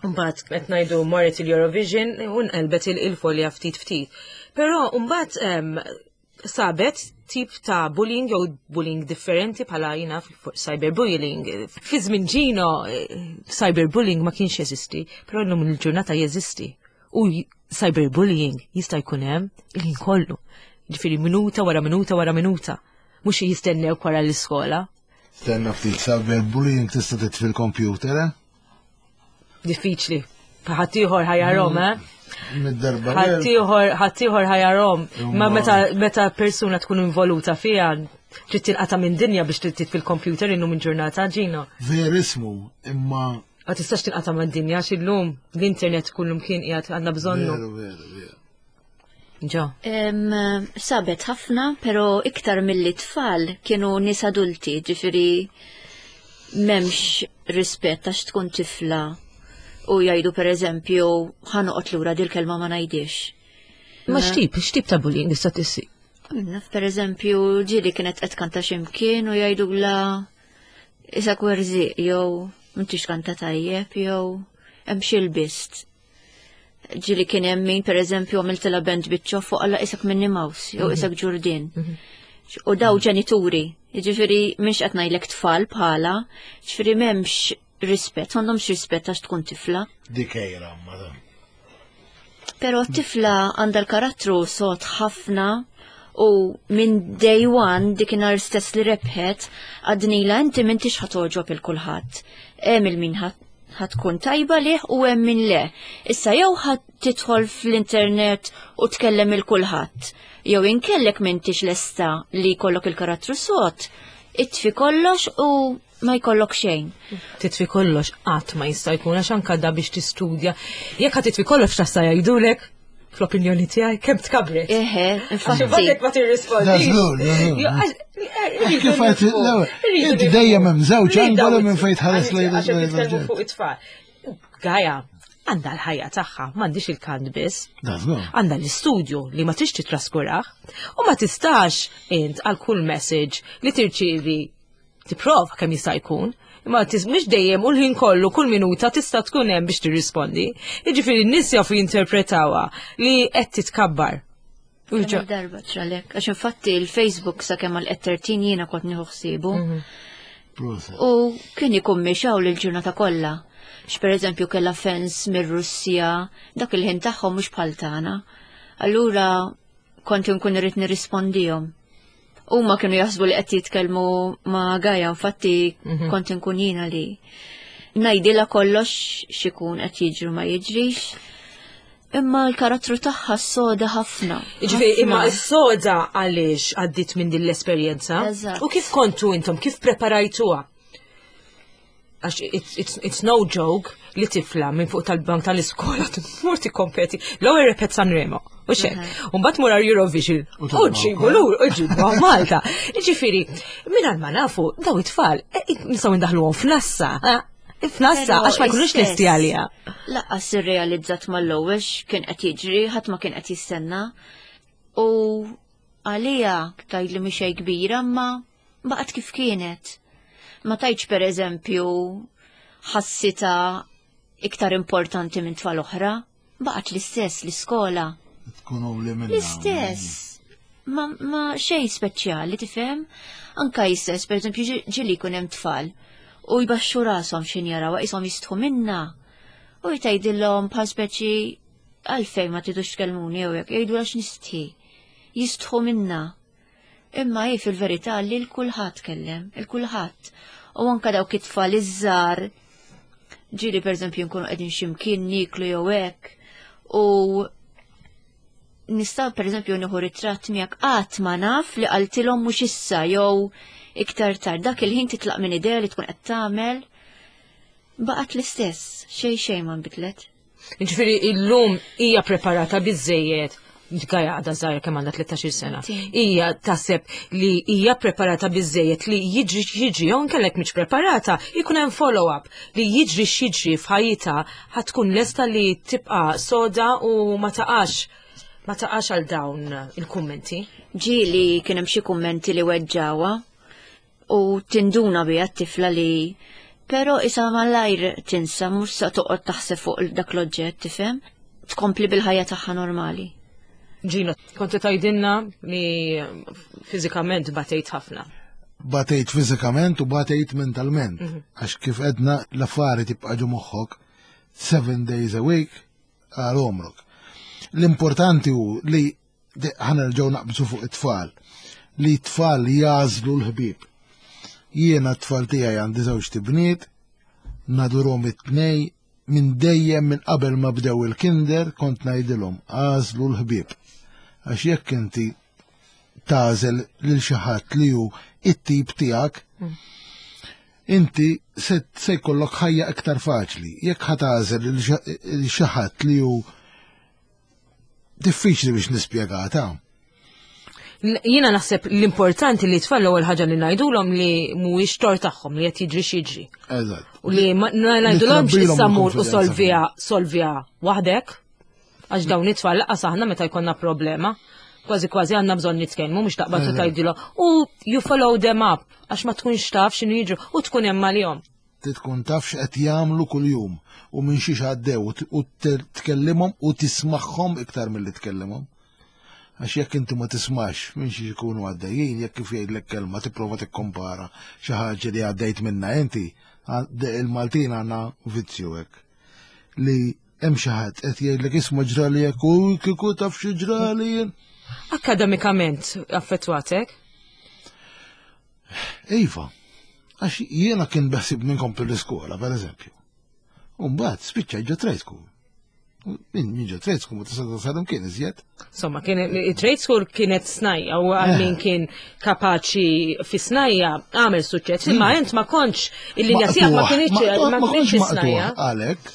mbagħad qed ngħidu marret il-Eurovision u nqelbet il-folja ftit ftit. Però mbagħad em, sabet tip ta' bullying jew bullying differenti bħala jina cyberbullying. Fi żmien Gino eh, cyberbullying ma kienx jeżisti, però llum il-ġurnata jeżisti. U j- cyberbullying jista' jkun hemm il-ħin kollu. Ġifieri minuta wara minuta wara minuta. Mhux jistennew wara l-iskola. Stenna ftit, cyberbullying tista' titfi l-computer, eh? Diffiċli. Ħaddieħor ħa jarahom, eh? Mid-darba. Ħaddieħor ħaddieħor ħa jarahom. Ma Imma- meta meta persuna tkun involuta fiha trid tinqata' minn dinja biex titfi fil-computer illum il-ġurnata, Gino. Verismu, imma Ma tistax tinqata' minn dinja għax illum l-internet kullum kien qiegħed għandna bżonnu. Veru, veru, veru. Ġo. Em, sabet ħafna, pero iktar mill tfal kienu nies adulti, ġifiri m'hemmx rispett għax tkun tifla u jgħidu, per eżempju, ħa noqgħod lura, dil-kelma ma ngħidix. Ma x'tip, x'tip ta' bullying tista' tissi? Naf, per eżempju, ġieli kienet qed kanta x'imkien u jgħidu la isa kwerżiq jew m'intix kanta tajjeb jew hemm xi lbist. Ġieli kien hemm min, per eżempju, għamiltilha band biċċa fuq alla isak Minnie Mouse jew isak Ġurdin. U daw ġenituri, jiġifieri mhix qed ngħidlek tfal bħala, ġifieri m'hemmx rispett, m'għandhomx rispett għax tkun tifla. Dik ejra, madam. Pero t-tifla għandha l-karattru sod ħafna u minn day one, dikinhar stess li rebħet, għednielha, inti m'intix ħa togħġob il kulħadd. Hemm il-min Ħa tkun tajba lih u hemm min le. Issa jew ħa tidħol fl-internet u tkellem il kulħadd. Jew inkellek m'intix lesta li jkollok il-karattru sod, itfi kollox u ma jkollok xejn. Titfi kollox qatt ma jista' jkun, għax anka da biex tistudja. Jekk ħa titfi kollox, tista' jgħidulek, fl-opinjoni tiegħi, kemm tkabret. Eħe, infatti. Għax ma tirrispondi. Da żgur, da żgur. Kif għedt l-ewwel, inti dejjem hemm żewġ angoli minn fejn tħares lejn Għax lejn nitkellmu l-oġġett. fuq it-tfal. Gaja, għandha l-ħajja tagħha, m'għandix il-kant biss. Da żgur. Għandha l-istudju li ma tix titraskurah u ma tistax int għal kull message li tirċievi tipprova kemm jista' jkun. Imma tis mhux dejjem u l-ħin kollu kull minuta tista' tkun hemm biex tirrispondi. Jiġifieri n-nies jafu jinterpretawha li qed titkabbar. U Kemm ġo- il-darba ġralek. Għax infatti il-Facebook sa kemm għal tlettax jiena kont nieħu ħsiebu. Proset. U kien ikun miexaw l-ġurnata kollha. X per eżempju kella fans mir-Russja, dak il-ħin tagħhom mhux bħal tagħna. Allura kont inkun irrid nirrispondihom. Huma kienu jaħsbu li qed jitkellmu ma' Gaja, infatti kont inkun jiena li ngħidilha kollox x'ikun qed jiġru ma jiġrix. Imma l-karattru tagħha soda ħafna. Ġifieri, imma ħafna. s-soda għaliex għaddit minn din l-esperjenza. Eżatt. U kif kontu intom, kif preparajtuha? Għax it's, it's, it's no joke li tifla minn fuq tal-bank tal-iskola tmur tikkompeti. L-ewwel rebħet Sanremo. U xek. U mbagħad mur Eurovision. U U tilgħu ġibu lur, u ġibu Malta. Ġifieri, minn ma nafu, daw it-tfal, eh, nistgħu ndaħluhom f'nassa. eh, F'nassa, Però għax ma jkunux istess, lesti għalija. Lanqas irrealizzat mal-ewwel kien qed jiġri, ħadd ma kien qed jistenna. U għalija tgħid li mhix xejn kbira, ma baqgħet kif kienet. Ma tajtx, per eżempju, ħassita iktar importanti minn tfal oħra, baqgħet l-istess l-iskola. Tkun li minna. L-istess. Ma, ma xej speċjali, tifhem? Anka jistess, per eżempju, ġi- ġieli jkun hemm tfal u jbaxxu rashom xin jaraw qishom jistħu minna. U jtajdilhom bħal speċi, "Għalfejn ma tidux tkellmuni?" jew hekk, jgħidu, "Għax nistħi." Jistħu minna. Imma hi fil-verità li l-kulħadd kellem, il-kulħadd. U anka dawk it-tfal iż-żgħar, ġieli per eżempju nkunu qegħdin x'imkien niklu jew hekk u nista' per eżempju nieħu ritratt miegħek, qatt ma naf li qaltilhom mhux issa jew iktar tard. Dak il-ħin titlaq minn idea li tkun qed tagħmel. Baqgħet l-istess, xejn xejn ma nbidlet. Ġifieri illum hija preparata biżejjed. Gaja għadha żgħira, kemm għandha, tlettax-il sena. Hija taħseb li hija preparata biżejjed li jiġri x'jiġri, jew inkellek mhix preparata, jkun hemm follow-up li jiġri x'jiġri f'ħajjitha ħa tkun lesta li tibqa' soda u ma taqax ma taqax għal dawn il-kummenti? Ġieli kien hemm xi kummenti li weġġawha u tinduna biha t-tifla li, pero isa malajr tinsa, mhux sa toqgħod taħseb fuq dak l-oġġett, tifhem? Tkompli bil-ħajja tagħha normali. Ġino, konti tgħidilna li fiżikament batejt ħafna. Batejt fiżikament u batejt mentalment. Għax kif edna, l-affari tibqa' ġo moħħok seven days a week għal għomrok. L-importanti hu li ħa nerġgħu naqbżu fuq it-tfal. Li t-tfal jagħżlu l-ħbieb. Jiena t-tfal tiegħi, għandi żewġ tibniet, nadurhom it-tnej, minn dejjem, minn qabel ma bdew il-kinder kont ngħidilhom, "Għażlu l-ħbieb." Għax jekk inti tagħżel lil xi ħadd li hu it-tip tiegħek, inti se se jkollok ħajja iktar faċli. Jekk ħa tagħżel lil xi ħadd li hu diffiċli biex nispjegata. Jiena naħseb l-importanti li tfal, l-ewwel ħaġa li ngħidulhom li mhuwiex tort tagħhom li qed jiġri x'jiġri. Eżatt. U li ma ngħidulhomx Nittrabbilhom issa mur u il-konfidenza. Solvija solvija waħdek. Għax dawn it-tfal, lanqas aħna meta jkollna problema, kważi kważi għandna bżonn nitkellmu, mhux taqbad u Eżatt. tgħidilhom. U you follow them up għax ma tkunx taf x'inhu jiġru u tkun hemm għalihom. Tkun taf x'qed jagħmlu kuljum u minn xiex għaddew u t- u tkellimhom u tismagħhom iktar milli tkellimhom. Għax jekk inti ma tismax minn xiex ikunu għaddejjin, jekk kif jgħidlek kelma tipprova tikkompara xi ħaġa li għaddejt minna inti, għad- il-Maltin għandna vizzju hekk. Li hemm xi ħadd qed jgħidlek, "Isma', ġrali hekk," u "Kieku taf xi ġrali jien." Akademikament affettwatek? Iva, għax jiena kien beħsibni nkompli l-iskola, per eżempju. U mbagħad spiċċa ġo trade school. Min min ġo trade school ma tista' tasal kien iżjed. Insomma, kien trade school kienet snajja u għal min kien kapaċi fi snajja għamel suċċess, imma int ma kontx il-linja tiegħek ma kienx ma kienx snajja. Għalhekk,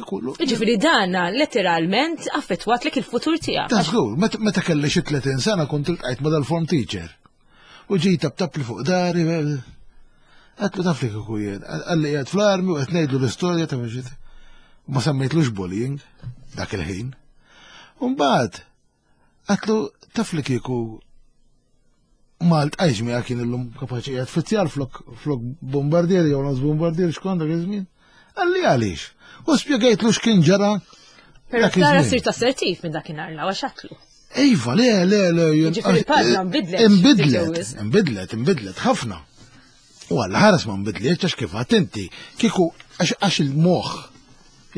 kollu. Ġifieri dana letteralment affettwatlek il-futur tiegħek. Ta' żgur, meta meta kelli xi tletin sena kont iltqajt ma' dal-form teacher. U ġej taptap li fuq dari, għedtlu taf li kieku jien, qalli qiegħed fl-armi u qed ngħidlu l-istorja ta' mexit. Ma semmejtlux bullying dak il-ħin. U mbagħad għedtlu taf li kieku ma ltqajtx miegħek kien illum kapaċi qiegħed fizzjar flok flok bombardier jew nofs bombardier x'kont dak iż-żmien. Qalli għaliex. U spjegajtlu x'kien ġara. Però dak Klara iż-żmien. sirt assertiv minn dakinhar l għax għedtlu. Iva, le, le, le. jien- Ġifieri l-paġna nbidlet, Imbidlet, wisq. imbidlet, imbidlet, ħafna. U għalla ħares ma nbidlet, għax kif għedt inti, kieku, għax għax il-moħ,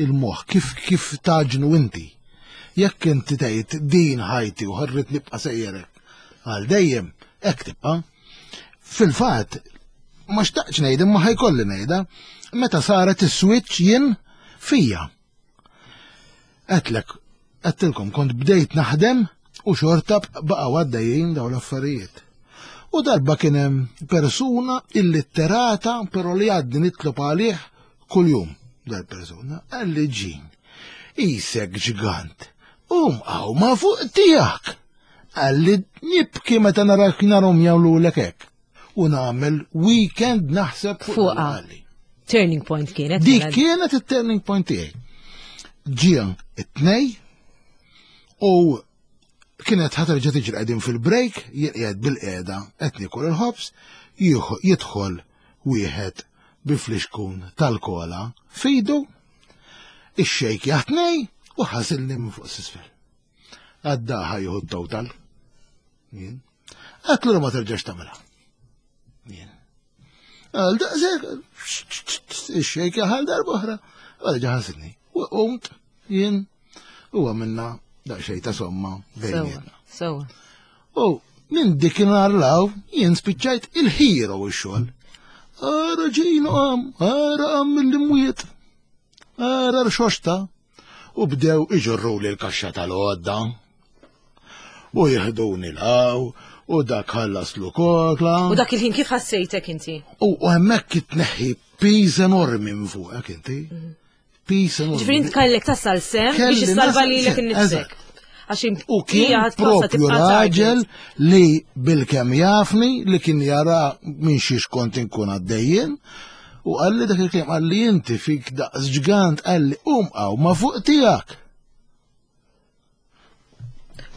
il-moħ, kif, kif taġnu inti. Jekk inti tgħid din ħajti u ħarrit nibqa' sejjerek, għal dejjem, hekk tibqa'. Fil-fatt, ma xtaqx ngħid imma ħajkolli ngħidha, meta saret is-switch jien fija. Għedtlek, għedtilkom kont bdejt naħdem u xorta baqgħu għaddejjin dawn l-affarijiet. U darba kien hemm persuna illitterata però li għaddi nitlob għalih kuljum. Dal-persuna qalli Ġin, isek ġgant, um għaw ma fuq tiegħek. Qalli nibki meta narak narhom jagħmlulek hekk. U nagħmel weekend naħseb fuq Fuqha. qalli. Turning point kienet. Dik mela. kienet il-turning point tiegħi. Ġie it-tnej u kienet ħa terġa' tiġri qegħdin fil-break, jien qiegħed bil-qiegħda qed niekol il-ħobż, jieħu- jidħol wieħed bi flixkun tal-kola f'idu, ix-xejk jaħtnej u ħasilni minn fuq s'isfel. Għaddaħa jieħu t-total. Jien. Għedtlu ma terġax tagħmilha. Jien. Għal daqsek, ix-xejk jaħal darba oħra, għal ħasilni. U qomt jien u għamilna daqsxejn ta' somma Sewa, bejnietna. sewa. U minn dik law jien spiċċajt il-hero ix-xogħol. Ara ġejnu qam, ara qam mill-imwiet. Ara rxoxta. U bdew iġorru li l-kaxxa tal-għodda. U jihduni law, u dak ħallaslu kokla. U dak il-ħin kif ħassejtek inti? U u hemmhekk itneħħi piż enormi minn fuqek inti. Piż enormi. Ġifieri int kellek tasal s'hemm Kelli biex issalva nasal lilek sem, innifsek. eżatt. Għax U kien hija ħadd propju raġel li bil-kem jafni li kien jara minn xiex kont inkun għaddejjien u qalli dak il-kliem qalli inti fik daqs ġgant qalli um għaw ma fuq tiegħek.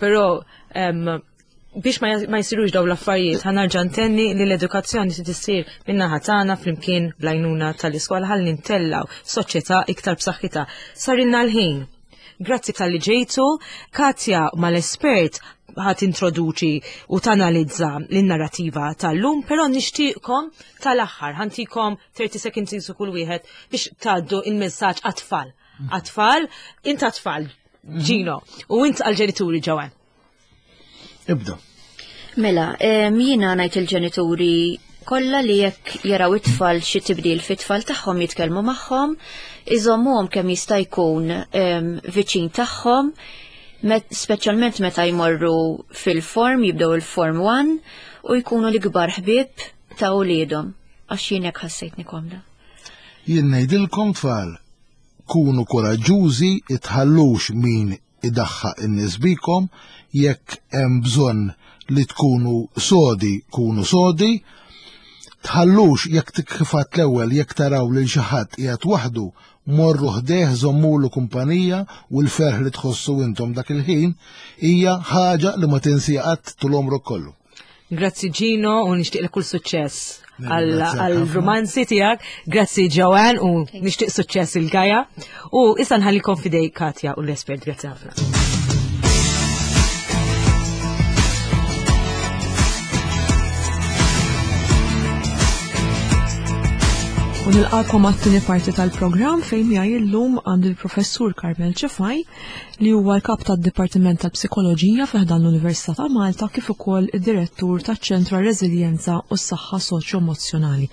Però em, biex ma ma jsirux daw l-affarijiet, ħa nerġa' ntenni li l-edukazzjoni se tissir min-naħa tagħna flimkien bl-għajnuna tal-iskola ħalli ntellaw soċjetà iktar b'saħħitha. Sarilna l-ħin. Grazzi talli ġejtu, Katja mal-espert ħa tintroduċi u tanalizza l-narrativa tal-lum, però nixtieqkom tal-aħħar, ħa ntikom thirty seconds jisu kull wieħed biex tgħaddu il-messaġġ għat-tfal. Għat-tfal, int għat-tfal, Gino, u int għal-ġenituri Joanne. Ibda. Mela, em, jiena ngħid il-ġenituri kollha li jekk jaraw it-tfal xi tibdil fit-tfal tagħhom jitkellmu magħhom, iżommuhom kemm jista' jkun em, viċin tagħhom, met, speċjalment meta jmorru fil-form, jibdew il-form one u jkunu l-ikbar ħbieb ta' uliedhom. Għax jien hekk ħassejtni komda. Jien ngħidilkom tfal, kunu koraġġużi, itħallux min idaħħaq in-nies bikom, jekk hemm bżonn li tkunu sodi, kunu sodi, tħallux jekk kif għedt l-ewwel jekk taraw lil xi ħadd qiegħed waħdu, morru ħdejh, żommulu kumpanija u l-ferħ li tħossu intom dak il-ħin hija ħaġa li ma tinsija qatt tul għomrok kollu. Grazzi Gino u nixtieq kull suċċess Nirringrazzjak għal-romanzi tiegħek. Grazzi Joanne u nixtieq suċċess lil Gaja. U issa nħallikom f'idej Katja u l-espert. Grazzi ħafna. U nilqakom għat-tieni parti tal-programm fejn miegħi llum għandi l-Professur Carmel Cefai, li huwa l-kap tad-Dipartiment tal-Psikoloġija fi ħdan l-Università ta' Malta, kif ukoll id-Direttur taċ-Ċentru għar-Reżiljenza u s-Saħħa Soċjo-Emozzjonali.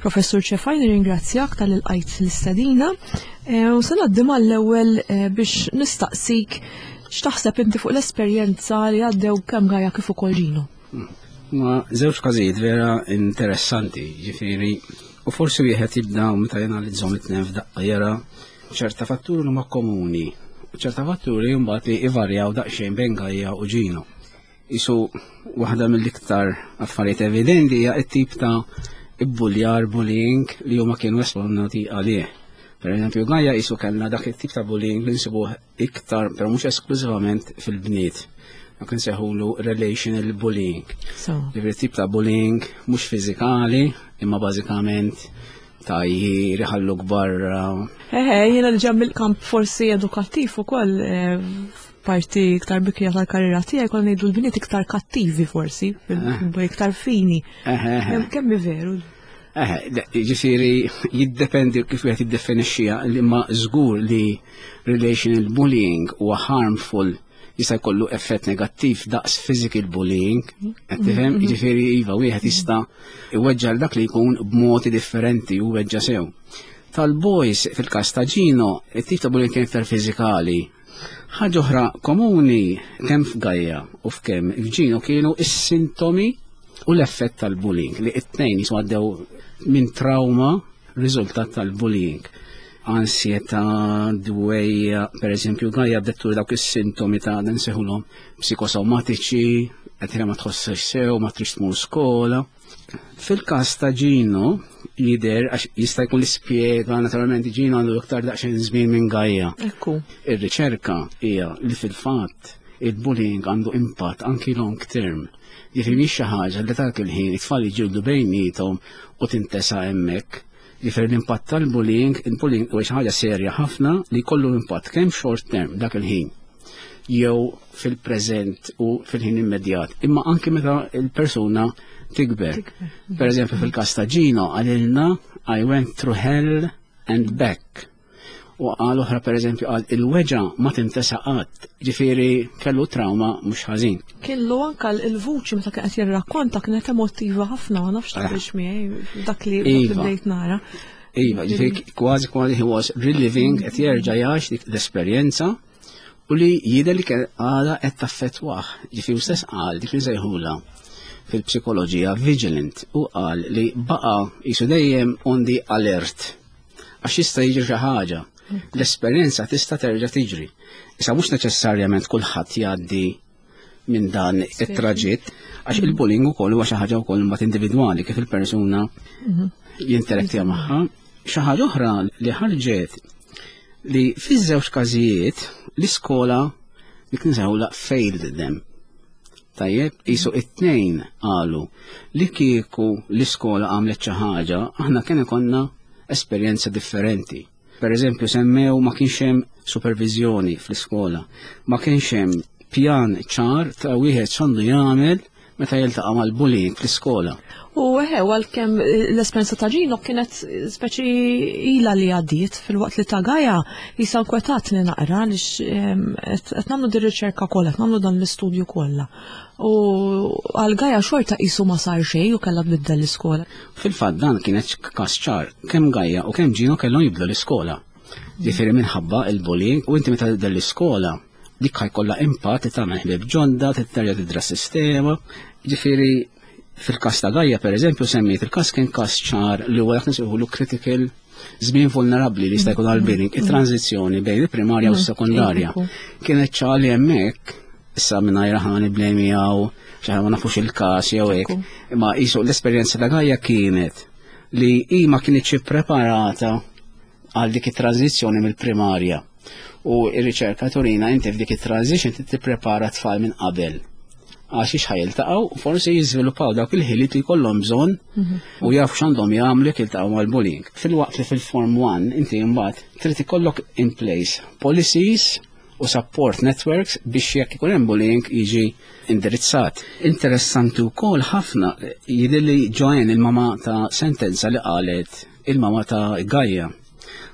Professur Cefai, nirringrazzjak talli lqajt l-istedina eh, u se ngħaddi mal-ewwel eh, biex nistaqsik x'taħseb inti fuq l-esperjenza li għaddew kemm Gaia kif ukoll Gino. Ma żewġ każijiet vera interessanti, ġifieri, u forsi wieħed jibda meta janalizzhom it-tnejn f'daqqa jara ċerta fatturi li huma komuni, u ċerta fatturi mbagħad li ivarjaw daqsxejn bejn Gaia u Gino. Isu waħda mill-iktar affarijiet evidenti hija t-tip ta' ibbuljar, bullying li huma kienu esponati għalih. Per eżempju, Gaia isu kellna dak it-tip ta' bullying li nsibuh iktar, però mhux esklużivament, fil-bniet. Dak insejħulu relational bullying. So, Ġifieri tip ta' bullying mhux fiżikali, imma bażikament ta' jħalluk barra. Eħe, jiena li ġej mill-kamp forsi edukattiv ukoll, eh, parti iktar bikrija tal-karriera tiegħi, konna ngħidu l-bniet iktar kattivi forsi, iktar fini. Eħe, eħe. Kemm kemm veru? Eħe, le, ġifieri jiddependi kif wieħed jiddefinixxiha, imma żgur li relational bullying huwa harmful, jista' jkollu effett negattiv daqs physical bullying, qed tifhem? Ġifieri iva, wieħed jista' iweġġa' dak li jkun b'modi differenti u weġġa' sew. Tal-boys, fil-każ ta' Gino, it-tip ta' bullying kien iktar fiżikali. Ħaġa oħra komuni kemm f'Gaia u f'kemm f'Gino kienu is-sintomi u l-effett tal-bullying, li it-tnejn jisu għaddew minn trauma riżultat tal-bullying. Ansjetà, dwejjaq, per eżempju, Gaia bdet turi dawk is-sintomi ta' dan nsejħulhom psikosomatiċi, qed ma tħossx sew, ma trix tmur skola. Fil-każ ta' Gino jidher, għax jista' jkun li spjega, naturalment Gino għandu iktar daqsxejn żmien minn Gaia. Ekku. Ir-riċerka hija li fil-fatt il-bullying għandu impatt anki long term. Jiġifieri mhix xi ħaġa li dak il-ħin it-tfal jiġġieldu bejniethom u tintesa hemmhekk. Jiġifieri l-impatt tal-bullying, il-bullying huwa xi ħaġa serja ħafna li jkollu impatt kemm short term, dak il-ħin, jew fil-preżent u fil-ħin immedjat, imma anki meta il-persuna tikber. Per eżempju, fil-każ ta' Gino qalilna, "I went through hell and back." U qal oħra, per eżempju, qal il-weġgħa ma tintesa qatt, ġifieri kellu trauma mhux ħażin. Kellu anka il-vuċi meta kien qed jirrakkonta kienet emotiva ħafna, ma nafx taqbilx miegħi dak li dak li Iva. bdejt nara. Iva, ġifieri kważi kważi he was reliving, qed jerġa' jgħix dik l-esperjenza u li jidher li kien għadha qed taffettwah. Ġifieri hu stess qal dik li sejħula fil-psikoloġija vigilant u qal li baqa' jisu dejjem on the alert għax jista' jiġri xi ħaġa. L-esperjenza tista' terġa' tiġri. Issa mhux neċessarjament kulħadd jgħaddi minn dan it-traġitt, għax il-bullying ukoll huwa xi ħaġa wkoll imbagħad individwali, kif il-persuna jinterattja magħha. Xi ħaġa oħra li ħarġet li fiż-żewġ każijiet l-iskola dik nsejħulha failed them. Tajjeb, jisu it-tnejn qalu li kieku l-iskola għamlet xi ħaġa, aħna kien ikollna esperjenza differenti. Per eżempju, semmew ma kienx hemm supervizjoni fl-iskola, ma kienx hemm pjan ċar ta' wieħed x'għandu jagħmel meta jiltaqa' mal-bullying fl-iskola. U eħe, għalkemm l-esperjenza ta' Gino kienet speċi ila li għaddiet, filwaqt li ta' Gaia jisa inkwetatni naqra għaliex qed nagħmlu din riċerka kollha, qed nagħmlu dan l-istudju kollha. U għal Gaia xorta qisu ma sar xejn u kellha tbiddel l-iskola. Fil-fatt dan kienet każ ċar, kemm Gaia u kemm Gino kellhom jibdlu l-iskola. Ġifieri minħabba il-bullying, u inti meta tibdel l-iskola dik ħa jkollha impatt, tagħmel ħbieb ġodda, terġa' tidra sistema. Ġifieri fil-każ ta' Gaia, per eżempju, semmiet il-każ kien każ ċar li huwa dak nsejħulu critical żmien vulnerabbli li jista' jkun għall-bullying, it-tranzizzjoni bejn il-primarja u s-sekondarja. Kienet ċar li hemmhekk, issa mingħajr aħna nibblejmjaw xi ma nafux il-każ jew hekk, imma qisu l-esperjenza ta' Gaia kienet li hi ma kinitx ippreparata għal dik it-tranzizzjoni mill-primarja. U r-riċerka turina inti f'dik it-transition tipprepara tfal minn qabel għax ix ħa jiltaqgħu u forsi jiżviluppaw dawk il-ħiliet li jkollhom bżonn u jafu x'għandhom jagħmlu jekk jiltaqgħu mal-bullying. Filwaqt li fil-Form one inti mbagħad trid ikollok in place policies u support networks biex jekk ikun hemm bullying jiġi indirizzat. Interessanti wkoll ħafna jidher li Joanne, il-mama ta' sentenza li qalet il-mama ta' Gaia.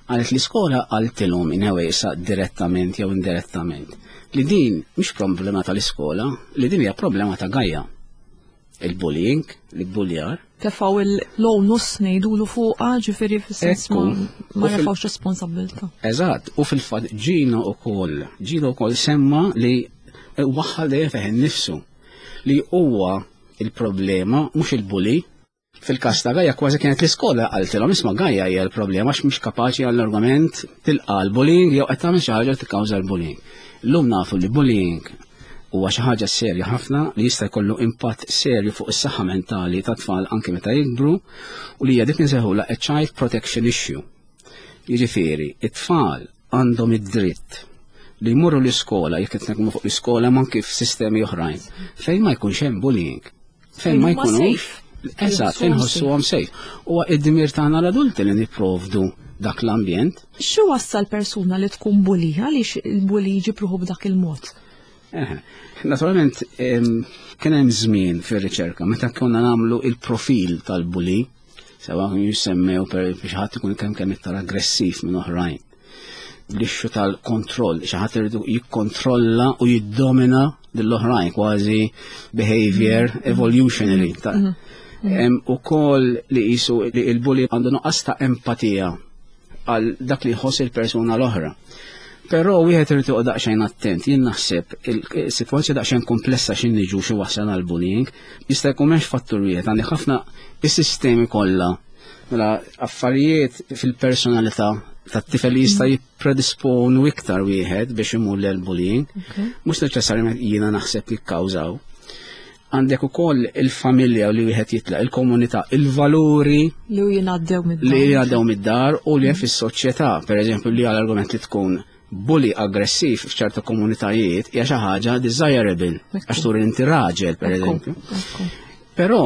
Qalet l-iskola qaltilhom in issa direttament jew indirettament li din mhix problema tal-iskola, li din hija problema ta' Gaia. Il-bullying, l-buljar. Tefgħu l-onus ngħidulu fuqha, ġifieri fis-sens ma refgħux responsabbiltà. Eżatt, u fil-fatt Gino ukoll, Gino ukoll semma li waħħal dejjem fih innifsu li huwa il-problema mhux il-bully. Fil-każ ta' Gaia kważi kienet l-iskola qaltilhom isma' Gaia hija l-problema għax mhux kapaċi għall-argument tilqa' l-bullying jew qed tagħmel xi ħaġa tikkawża l-bullying. Illum nafu li bullying huwa xi ħaġa serja ħafna li jista' jkollu impatt serju fuq is-saħħa mentali tat-tfal anke meta jikbru u li hija dik insejħulha a child protection issue. Jiġifieri, it-tfal għandhom id-dritt li jmorru l-iskola, jekk qed nitkellmu fuq l-iskola ma anke f'sistemi oħrajn, fejn ma jkunx hemm bullying. Fejn ma jkunux. Eżatt, fejn ħossuhom safe. Huwa id-dmir tagħna l-adulti li nipprovdu dak l-ambjent. Xi wassal persuna li tkun bully? Għaliex il-bully jġib ruħu b'dak il-mod? Naturalment, kien hemm żmien fir-riċerka meta konna nagħmlu il-profil tal-bully, sewa jissemmew per biex ħadd ikun kemm kemm iktar aggressiv minn oħrajn. L-issue tal-kontroll, xi ħadd iridu jikkontrolla u jiddomina lill-oħrajn, kważi behavior evolutionary. Ukoll li qisu li il-bully għandu nuqqas ta' empatija għal dak li jħoss il-persuna l-oħra. Però wieħed irid joqgħod daqsxejn attent, jien naħseb il-sitwazzjoni daqsxejn komplessa x'in niġu xi wasal għal bullying, jista' jkun m'hemmx fattur wieħed, għandi ħafna is-sistemi kollha. Mela affarijiet fil-personalità tat-tifel li jista' jippredisponu iktar wieħed biex imur lil bullying, mhux neċessarjament jiena naħseb jikkawżaw. Għandek ukoll il-familja li wieħed jitlaq, il-komunità, il-valuri li jingħaddew mid-dar. Li jingħaddew mid-dar u li fis-soċjetà, pereżempju li għal-argument li tkun bully aggressiv f'ċerta komunitajiet hija xi ħaġa desirable għax turi inti raġel pereżempju. Però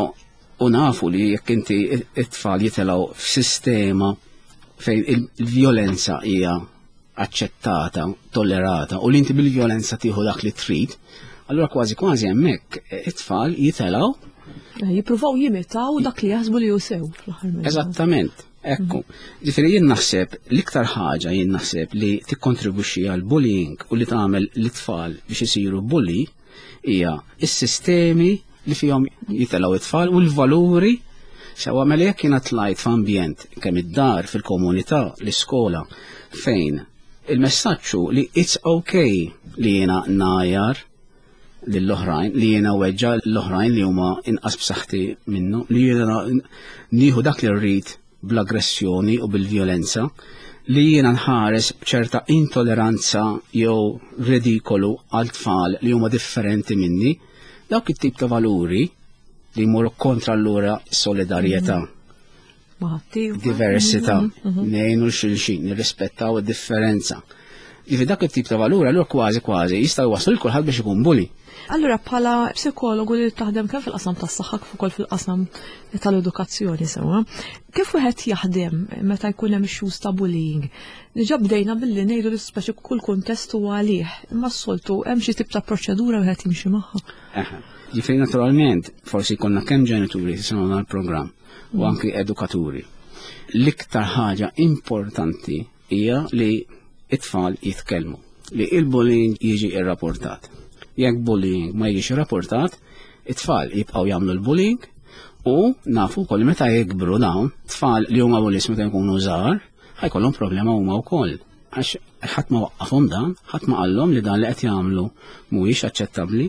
u nafu li jekk inti it-tfal jitilgħu f'sistema fejn il-vjolenza hija aċċettata, tollerata u li inti bil-vjolenza tieħu dak li trid, allura kważi kważi hemmhekk it-tfal jitilgħu jippruvaw jimitaw dak li jaħsbu li hu sew fl-aħħar. Eżattament. Ekku, ġifieri jien naħseb l-iktar ħaġa jien naħseb li tikkontribwixxi għal bullying u li tagħmel l-tfal biex isiru bully hija s-sistemi li fihom jitilgħu it-tfal u l-valuri sewa mela jekk jiena tlajt f'ambjent kemm id-dar fil-komunità, l-iskola fejn il-messaġġ li it's okay li jiena ngħajjar lill-oħrajn, li jiena weġġa l-oħrajn li huma inqas b'saħħti minnu, li jiena nieħu dak li rrid bl-aggressjoni u bil-vjolenza, li jiena nħares b'ċerta intolleranza jew ridikolu għal tfal li huma differenti minni, dawk it-tip ta' valuri li jmorru kontra allura solidarjetà, diversità, ngħinu xulxin, nirrispettaw id-differenza. Jiġifieri dak it-tip ta' valuri allura kważi kważi jista' jwasslu lil kulħadd biex ikun bully. Allura bħala psikologu li taħdem kemm fil-qasam tas-saħħa kif ukoll fil-qasam tal-edukazzjoni sewwa, kif wieħed jaħdem meta jkun hemm issues ta' bullying? Diġà bdejna billi ngħidu li speċi kull kuntest huwa għalih, imma s-soltu hemm xi tip ta' proċedura wieħed jimxi magħha. Ġifieri naturalment forsi jkollna kemm ġenituri jisimgħu l-programm u anki edukaturi. L-iktar ħaġa importanti hija li it-tfal jitkellmu, li il-bullying jiġi irrapportat. Jekk bullying ma jiġix irrapportat, it-tfal jibqgħu jagħmlu l-bullying u nafu wkoll meta jikbru dawn, tfal li huma bullies meta jkunu żgħar, ħa jkollhom problema huma wkoll. Għax ħadd ma waqqafhom dan, ħadd ma qallhom li dan li qed jagħmlu mhuwiex aċċettabbli.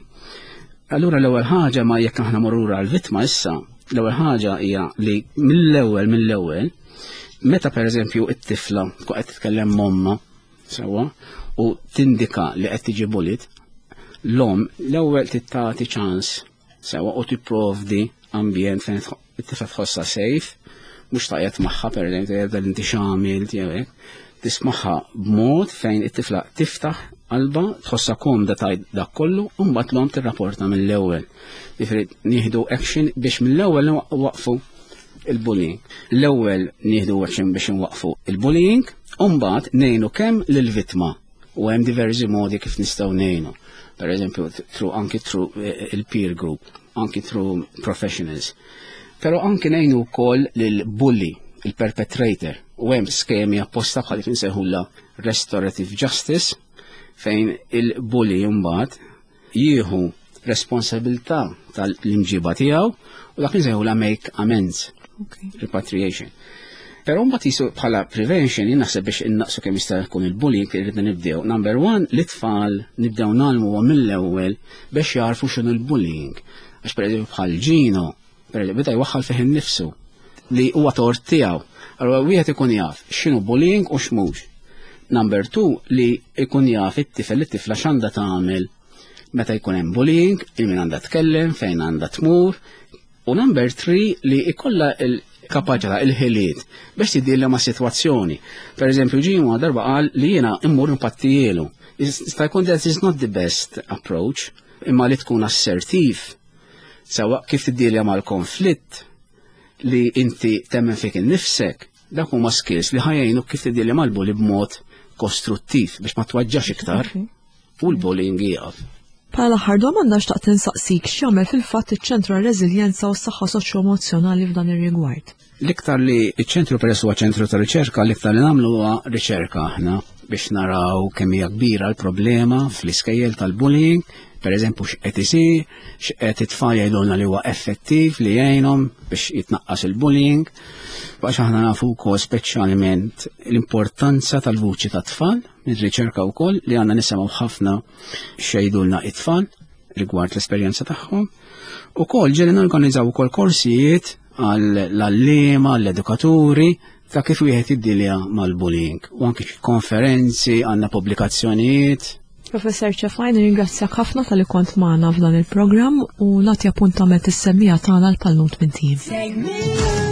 Allura l-ewwel ħaġa ma jekk aħna morru għall-vittma issa, l-ewwel ħaġa hija li mill-ewwel mill-ewwel meta pereżempju it-tifla tkun qed titkellem m'ommha sewwa u tindika li qed tiġi bullied, l-om l-ewwel tagħti ċans sewwa u tipprovdi ambjent fejn it-tifla tħossha safe, mhux tgħajjat magħha pereżempju jibda inti x'għamilt jew hekk, tismagħha b'mod fejn it-tifla tiftaħ qalba, tħossha komda tgħid dak kollu, u mbagħad l-om tirrapporta mill-ewwel. Jiġifieri nieħdu action biex mill-ewwel waqfu il-bullying. L-ewwel nieħdu action biex nwaqfu il-bullying, u mbagħad ngħinu kemm lill-vittma u hemm diversi modi kif nistgħu ngħinu. Per eżempju, through anki through il-peer group, anki through professionals. Però anki ngħinu wkoll lill-bully. il-perpetrator. U hemm skemi apposta bħal kif insejħulha restorative justice, fejn il-bully mbagħad jieħu responsabilità tal-imġiba tiegħu u dak insejħulha make amends, Okay. repatriation. Però mbagħad jisu bħala prevention, jien naħseb biex innaqsu kemm jista' jkun il-bullying irridna nibdew. Number one, l-itfal nibdew ngħallmuhom mill-ewwel biex jarfu x'inhu l-bullying. Għax pereżempju bħal Gino, pereżempju beda jwaħħal fih innifsu li huwa tort tiegħu. Allura wieħed ikun jaf x'inhu bullying u x'mhux. Number two, li ikun jaf it-tifel, it-tifla x'għandha tagħmel meta jkun hemm bullying, il min għandha tkellem, fejn għandha tmur. U number three, li ikolla il-kapaċità, il-ħiliet biex tiddilja ma' situazzjoni. Per eżempju, Gino darba qal li jiena immur impattijielu. Jista' jkun that is not the best approach, imma li tkun assertiv. Sawa kif tiddilja mal-konflitt, li inti temmen fik innifsek, dak huma skills li ħa jgħinu kif tiddilja mal-bully b'mod kostruttiv biex ma tweġġax iktar u l-bullying jieqaf. Bħala l-aħħar domanda, xtaqt insaqsik x'jagħmel fil-fatt iċ-ċentru għar-reżiljenza u s-saħħa soċjo-emozzjonali f'dan ir-rigward. L-iktar li iċ-ċentru, peress huwa ċentru ta' riċerka, l-iktar li nagħmlu huwa riċerka aħna biex naraw kemm hija kbira l-problema fl-iskejjel tal-bullying, per eżempju x'qed isir, x'qed it-tfal jgħidulna li huwa effettiv li jgħinhom biex jitnaqqas il-bullying. Għax aħna nafu wkoll speċjalment l-importanza tal-vuċi tat-tfal, mir-riċerka wkoll li għandna nisimgħu ħafna x'jgħidulna it-tfal rigward l-esperjenza tagħhom. Ukoll ġieli norganizzaw ukoll korsijiet għall-għalliema, għall-edukaturi ta' kif wieħed jiddilja mal-bullying. U anki konferenzi, għandna pubblikazzjonijiet. Professor Cefai, nirringrazzjak ħafna talli kont magħna f'dan il-programm u nagħti appuntament is-semmiegħa tagħna l-pallum tmint ijiem. Take me